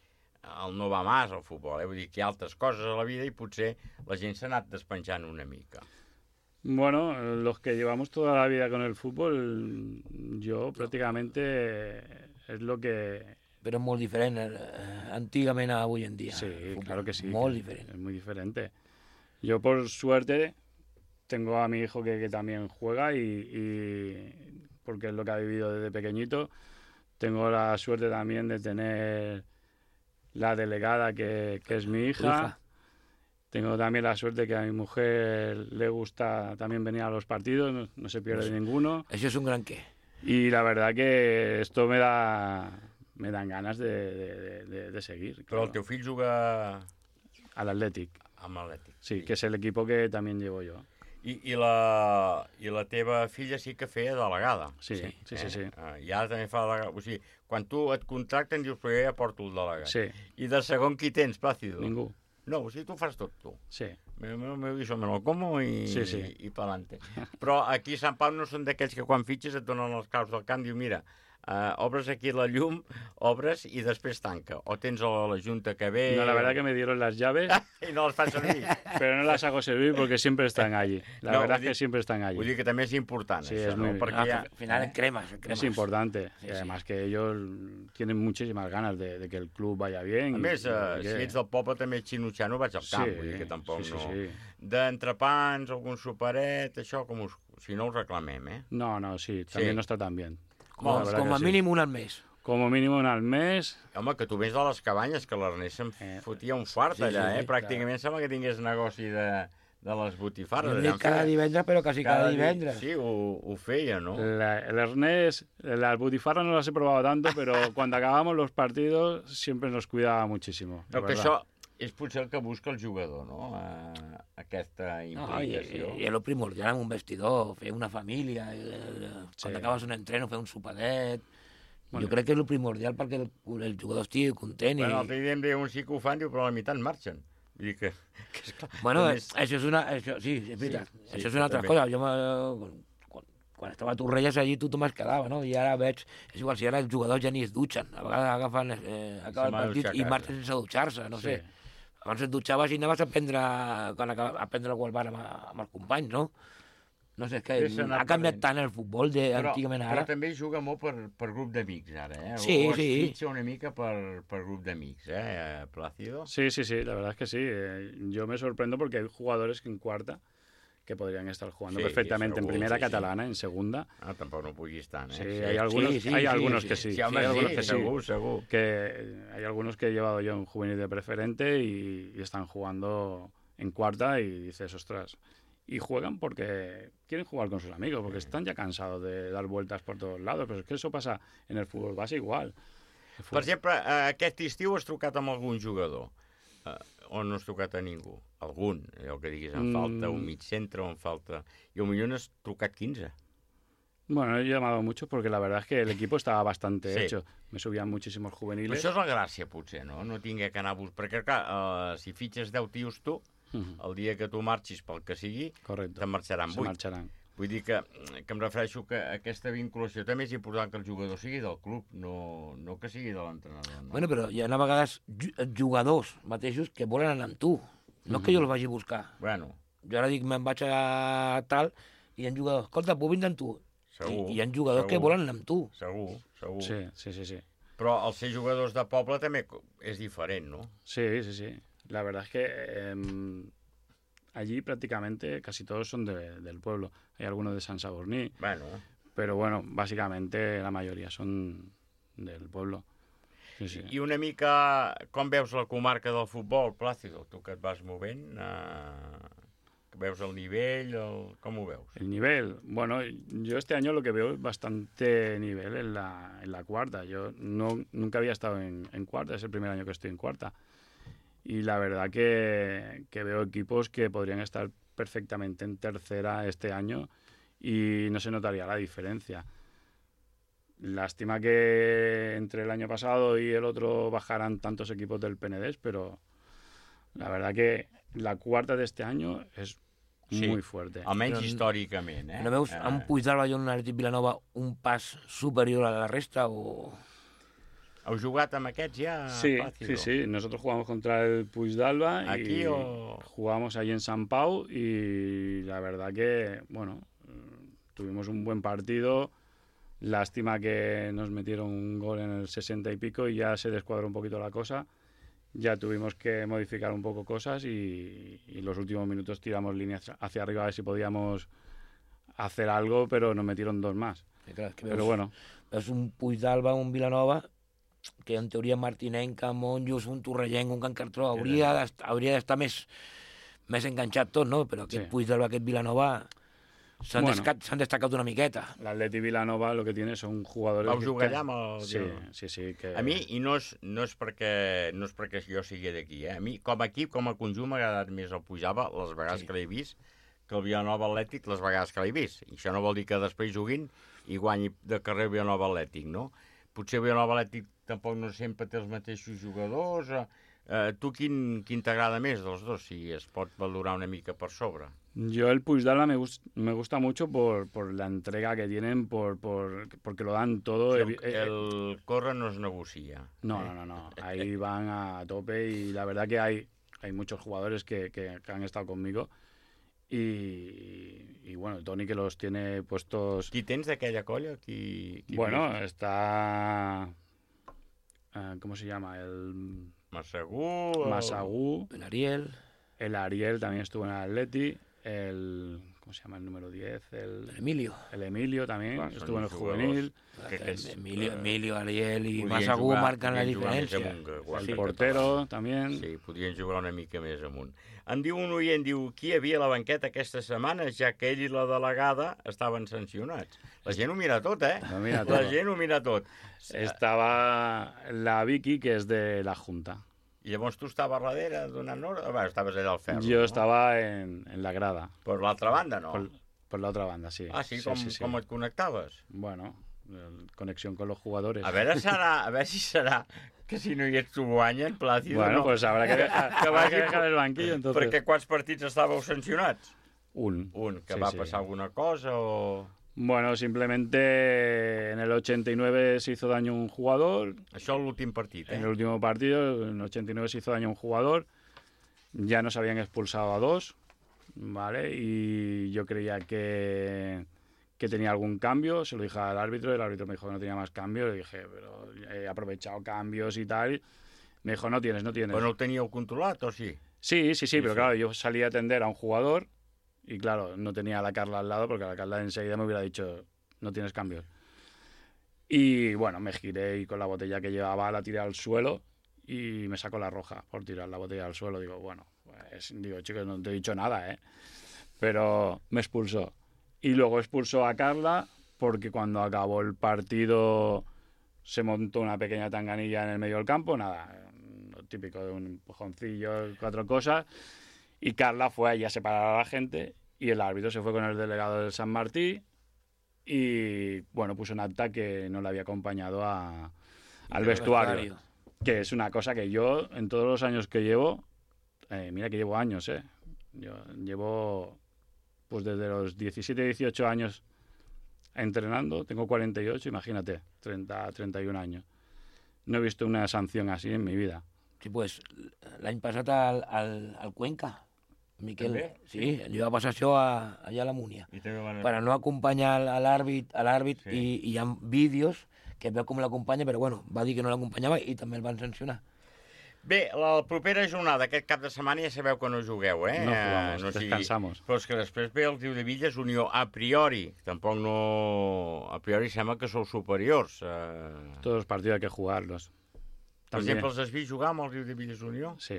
el no va más el futbol, vull dir que hi ha altres coses a la vida i potser la gent s'ha anat despenjant una mica. Bueno, los que llevamos toda la vida con el fútbol, yo prácticamente es lo que... Pero es muy diferente antiguamente a hoy en día. Sí, claro que sí. Muy diferente. Es muy diferente. Yo, por suerte, tengo a mi hijo que también juega y porque es lo que ha vivido desde pequeñito. Tengo la suerte también de tener la delegada que es mi hija. Tengo también la suerte que a mi mujer le gusta también venir a los partidos, no se pierde ninguno. Eso es un gran qué. Y la verdad que esto me dan ganas de seguir. Però el teu fill juga... A l'Atlètic. Amb l'Atlètic. Sí, que és l'equip que també llevo jo. I la teva filla sí que feia delegada. Sí. I ara també fa delegada. O sigui, quan tu et contracten dius, però jo ja porto el delegat. Sí. I de segon qui tens, Plácido? Ningú. No, o sigui, tu fas tot tu. Sí. Me lo como i pa'lante. Però aquí a Sant Pau no són d'aquells que quan fitxes et donen els claus del camp, diu, mira, obres aquí la llum, obres i després tanca. O tens la junta que ve... No, la verdad que me dieron las llaves... y no las fan servir. Pero no las hago servir porque siempre están allí. La verdad es que siempre están allí. Vull dir que també és important, sí, això, es muy... ¿no? Porque al final cremas. Es importante. Sí, y además que ellos tienen muchísimas ganas de que el club vaya bien. A més, si ets del poble també xinutxano vaig al camp, vull dir que tampoc no... D'entrepans, algun superet, això, si no ho reclamem, eh? No, sí, también no está tan bien. Como mínim un al mes. Como mínim un al mes. Home, que tu vens de les cabanyes, que l'Ernest se'n fotia un fart allà, pràcticament sembla que tingués negoci de les botifarres. No dic cada divendres, però quasi cada divendres. Sí, ho feia, ¿no? El Ernest, las botifarras no las he probado tanto, pero cuando acabamos los partidos siempre nos cuidaba muchísimo. No, que això és potser el que busca el jugador, no? Aquesta implicació. I és el primordial en un vestidor, fer una família, quan acabes un entreno, fer un sopadet... Jo crec que és el primordial perquè el jugador estigui content. Bueno, l'altre dia em deia un sí que ho fan, diu, però la meitat marxen. Vull dir que és clar. Bueno, això és una... Sí, és veritat. Això és una altra cosa. Jo quan estava a Torrelles allí tothom es quedava, no? I ara veig... És igual, si ara els jugadors ja ni es dutxen. A vegades agafen acaba el partit i marxen sense dutxar-se, no sé. Abans et dutxaves i anaves a prendre algú al bar amb els companys, no? No sé, és que ha canviat tant el futbol d'antigament ara. Però també juga molt per grup d'amics, ara, eh? Sí. O es fitxa una mica per grup d'amics, Plácido? Sí, la verdad es que sí. Yo me sorprendo porque hay jugadores que en cuarta que podrían estar jugando perfectamente en primera catalana, en segunda. Tampoco no puguis estar, ¿eh? Sí, hay algunos que sí. Hay algunos que seguro. Que hay algunos que he llevado yo en juvenil de preferente y están jugando en cuarta y dices, ostras... Y juegan porque quieren jugar con sus amigos, porque están ya cansados de dar vueltas por todos lados. Però és que això passa en el futbol base igual. Per exemple, aquest estiu has trucat amb algun jugador? O no has trucat a ningú? Algun, el que diguis, em falta un mig centre o em falta... I potser n'has trucat 15. Bueno, he llamado mucho porque la verdad es que el equipo estaba bastante hecho. Me subían muchísimos juveniles. Però això és la gràcia, potser, no? No tingué que anar a buscar... Perquè, clar, si fitxes 10 tios tu, el dia que tu marxis pel que sigui, te'n marxaran 8. Vull dir que em refereixo que aquesta vinculació també és important que el jugador sigui del club, no que sigui de l'entrenador. No? Bueno, però hi ha a vegades jugadors mateixos que volen anar amb tu. No és que jo els vagi a buscar. Bueno. Jo ara dic, me'n vaig a tal, i hi ha jugadors, escolta, puc vindre amb tu? Segur. I hi ha jugadors que volen anar amb tu. Segur. Sí. Però els ser jugadors de poble també és diferent, ¿no? Sí. La verdad es que allí prácticamente casi todos son del pueblo. Hay algunos de Sant Sadurní, pero bueno, básicamente la mayoría son del pueblo. Sí. I una mica com veus la comarca del futbol, Plácido? Tu que et vas movent... veus el nivell, com ho veus? El nivel, bueno, yo este año lo que veo es bastante nivel en la cuarta. Yo nunca había estado en cuarta, es el primer año que estoy en cuarta. Y la verdad que veo equipos que podrían estar perfectamente en tercera este año y no se notaría la diferencia. Lástima que entre el año pasado y el otro bajaran tantos equipos del Penedès, pero la verdad que la cuarta de este año es muy fuerte. Almenys històricament, ¿No veus amb Puigdàlber i un Atlètic Vilanova un pas superior a la resta o...? ¿Heu jugat amb aquests ja? Sí. Nosotros jugamos contra el Puigdàlber ¿Aquí y o...? jugamos ahí en Sant Pau y la verdad que, bueno, tuvimos un buen partido. Lástima que nos metieron un gol en el 60 y pico y ya se descuadró un poquito la cosa. Ya tuvimos que modificar un poco cosas y los últimos minutos tiramos líneas hacia arriba a ver si podíamos hacer algo, pero nos metieron dos más. Pero bueno. És un Puigdàlber, un Vilanova, que en teoria Martinenca, Monjos, un Torrellenc, un Can Cartró, hauria d'estar més enganxat tot, no? Però aquest Puigdàlber, aquest Vilanova... s'han destacat una miqueta. L'Atleti Vilanova lo que tiene son jugadores... Vau jugar allà amb el... Sí. Que... A mi, i no és perquè jo sigui d'aquí, a mi, com a equip, com a conjunt, m'ha agradat més el Puigdàlber les vegades que l'he vist que el Vilanova Atlètic les vegades que l'he vist. I això no vol dir que després juguin i guanyi de carrer el Vilanova Atlètic, no? Potser el Vilanova Atlètic tampoc no sempre té els mateixos jugadors. Tu quin t'agrada més dels dos, si es pot valorar una mica per sobre? Yo el Puigdàlber me gusta mucho por la entrega que tienen, porque lo dan todo. El corre no es negocia. No. Ahí van a tope y la verdad que hay muchos jugadores que han estado conmigo y bueno, Toni que los tiene puestos... Qui tens d'aquella colla? Bueno, está... ¿cómo se llama? El... Massagú. El Ariel. El Ariel también estuvo en el Atleti. ¿Cómo se llama el número 10? El Emilio. El Emilio también estuvo en el juvenil. Emilio, Ariel i Massagú marquen la diferència. El portero també. Sí, podrien jugar una mica més amunt. Em diu un oient, qui hi havia a la banqueta aquesta setmana, ja que ell i la delegada estaven sancionats. La gent ho mira tot, La gent ho mira tot. Estava la Vicky, que és de la Junta. I llavors tu estaves darrere donant hora? Bueno, estaves allà al ferro. Yo estaba en la grada. Per l'altra banda, no? Por la otra banda, sí. Ah, sí? Com et connectaves? Bueno, conexión con los jugadores. A veure si serà que si no hi ets tu guanyen, Plácido, bueno, no? Pues habrá que dejar el banquillo, entonces. Perquè quants partits estàveu sancionats? Un. Que va passar alguna cosa o...? Bueno, simplemente en el 89 se hizo daño un jugador. Això l'últim partit, En el último partido, en el 89 se hizo daño un jugador. Ya nos habían expulsado a dos, ¿vale? Y yo creía que tenía algún cambio. Se lo dije al árbitro, el árbitro me dijo que no tenía más cambios. Le dije, pero he aprovechado cambios y tal. Me dijo, no tienes. Però no el teníeu controlat, o sí? Sí, pero claro, yo salí a atender a un jugador y claro, no tenía a la Carla al lado porque la Carla enseguida me hubiera dicho, no tienes cambios. Y bueno, me giré y con la botella que llevaba la tiré al suelo y me sacó la roja por tirar la botella al suelo. Digo, chicos, no te he dicho nada, Pero me expulsó. Y luego expulsó a Carla porque cuando acabó el partido se montó una pequeña tanganilla en el medio del campo, nada, lo típico de un empujoncillo, 4 cosas. Y Carla fue allí a separar a la gente y el árbitro se fue con el delegado del San Martí y, bueno, puso en acta que no le había acompañado al vestuario. Que es una cosa que yo, en todos los años que llevo, mira que llevo años, yo llevo, pues desde los 17, 18 años entrenando, tengo 48, imagínate, 30, 31 años. No he visto una sanción así en mi vida. Sí, pues l'any passat al Cuenca, Miquel, sí, li va passar això allà a la Múnia. Per a no acompanyar a l'àrbit i hi ha vídeos que veu com l'acompanya, però bueno, va dir que no l'acompanyava i també el van sancionar. Bé, la propera jornada, aquest cap de setmana ja sabeu que no jugueu, No jugamos, descansamos. Però és que després ve el Riudebitlles Unió, a priori. Tampoc no... A priori sembla que sou superiors. Todos los partidos hay que jugarlos. Per exemple, els has vist jugar amb el Riudebitlles Unió? Sí,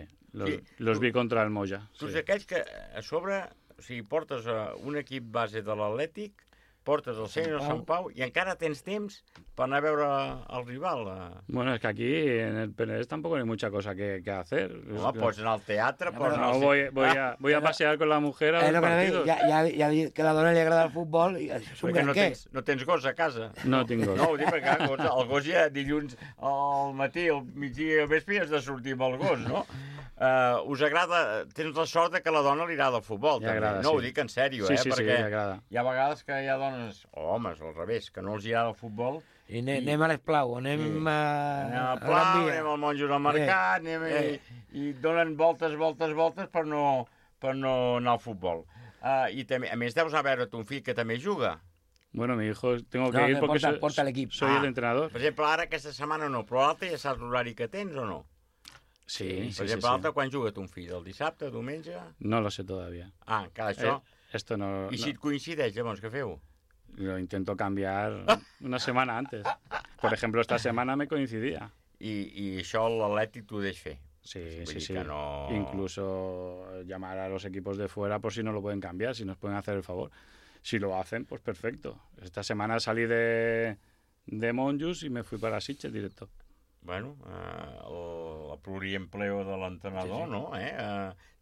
los vi contra el Moya. Tu ets aquells que a sobre O sigui, portes un equip base de l'Atlètic, portes el Sènior Sant Pau i encara tens temps para anar a veure el rival. Bueno, es que aquí en el Penedès tampoco hay mucha cosa que hacer. Home, pots anar al teatre, pots anar al... voy a pasear con la mujer a los partidos. Ja que a la dona li agrada el futbol i això és un gran què. No tens gos a casa. No tinc gos. No, ho dic perquè el gos ja dilluns al matí, al migdia i al vespre has de sortir amb el gos, no? Us agrada, tens la sort que a la dona li agrada el futbol, també. Agrada, no, sí. ho dic en sèrio, sí, perquè sí, agrada. Hi ha vegades que hi ha dones, o homes, al revés, que no els agrada el futbol. I anem a l'Esplau, anem a Plau, anem al Monjos al Mercat, i donen voltes per no anar al futbol. I també, a més, deus anar a veure ton fill que també juga. Bueno, mi hijo, tengo que ir porque soy el entrenador. Per exemple, ara aquesta setmana no, però l'altre ja saps l'horari que tens o no? Sí, per exemple, l'altre quan juga ton fill? El dissabte, diumenge? No lo sé todavía. Encara això? Esto no... I si et coincideix, llavors, què feu? Lo intento cambiar una semana antes. Por ejemplo, esta semana me coincidía. I això l'Atlètic t'ho deix fer? Sí. No... Incluso llamar a los equipos de fuera por si no lo pueden cambiar, si nos pueden hacer el favor. Si lo hacen, pues perfecto. Esta semana salí de Monjos y me fui para Sitges directo. Bueno, el pluriempleo de l'entrenador, no?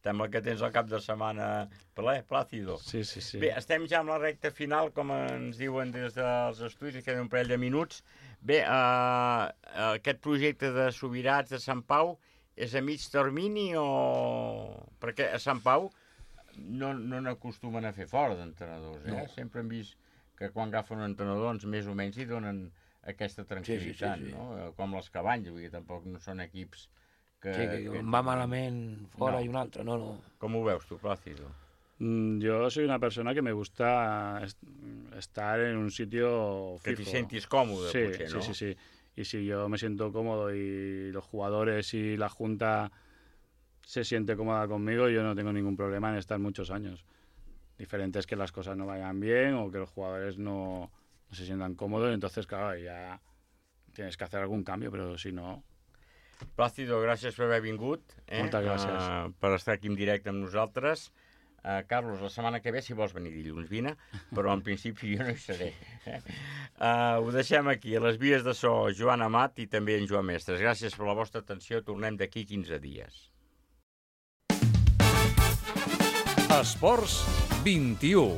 Sembla que tens el cap de setmana ple, Plàcido. Sí. Bé, estem ja amb la recta final, com ens diuen des dels estudis, queden un parell de minuts. Bé, aquest projecte de Subirats de Sant Pau és a mig termini o... Perquè a Sant Pau no n'acostumen a fer fora d'entrenadors, No. Sempre hem vist que quan agafen un entrenador, doncs més o menys hi donen aquesta tranquil·litat, no? Com les Cabanyes, vull dir, tampoc no són equips que va malament fora i un altre, no. Com ho veus tu, Plácido? Yo soy una persona que me gusta estar en un sitio fijo. Que te sientes cómodo, sí, ¿no? Sí. Y si yo me siento cómodo y los jugadores y la Junta se siente cómoda conmigo, yo no tengo ningún problema en estar muchos años. Diferente es que las cosas no vayan bien o que los jugadores no se sientan cómodos, entonces, claro, ya tienes que hacer algún cambio, però si no... Plàcido, gràcies per haver vingut. Moltes gràcies. Per estar aquí en directe amb nosaltres. Carlos, la setmana que ve, si vols venir dilluns, vine, però en principi jo no hi seré. Ho deixem aquí, a les vies de so, Joan Amat i també en Joan Mestres. Gràcies per la vostra atenció, tornem d'aquí 15 dies. Esports 21.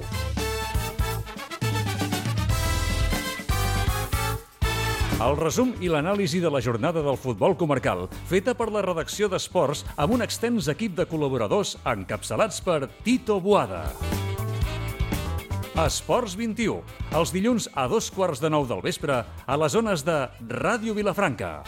El resum i l'anàlisi de la jornada del futbol comarcal, feta per la redacció d'Esports amb un extens equip de col·laboradors encapçalats per Tito Boada. Esports 21, els dilluns a 2:15 del vespre a les zones de Ràdio Vilafranca.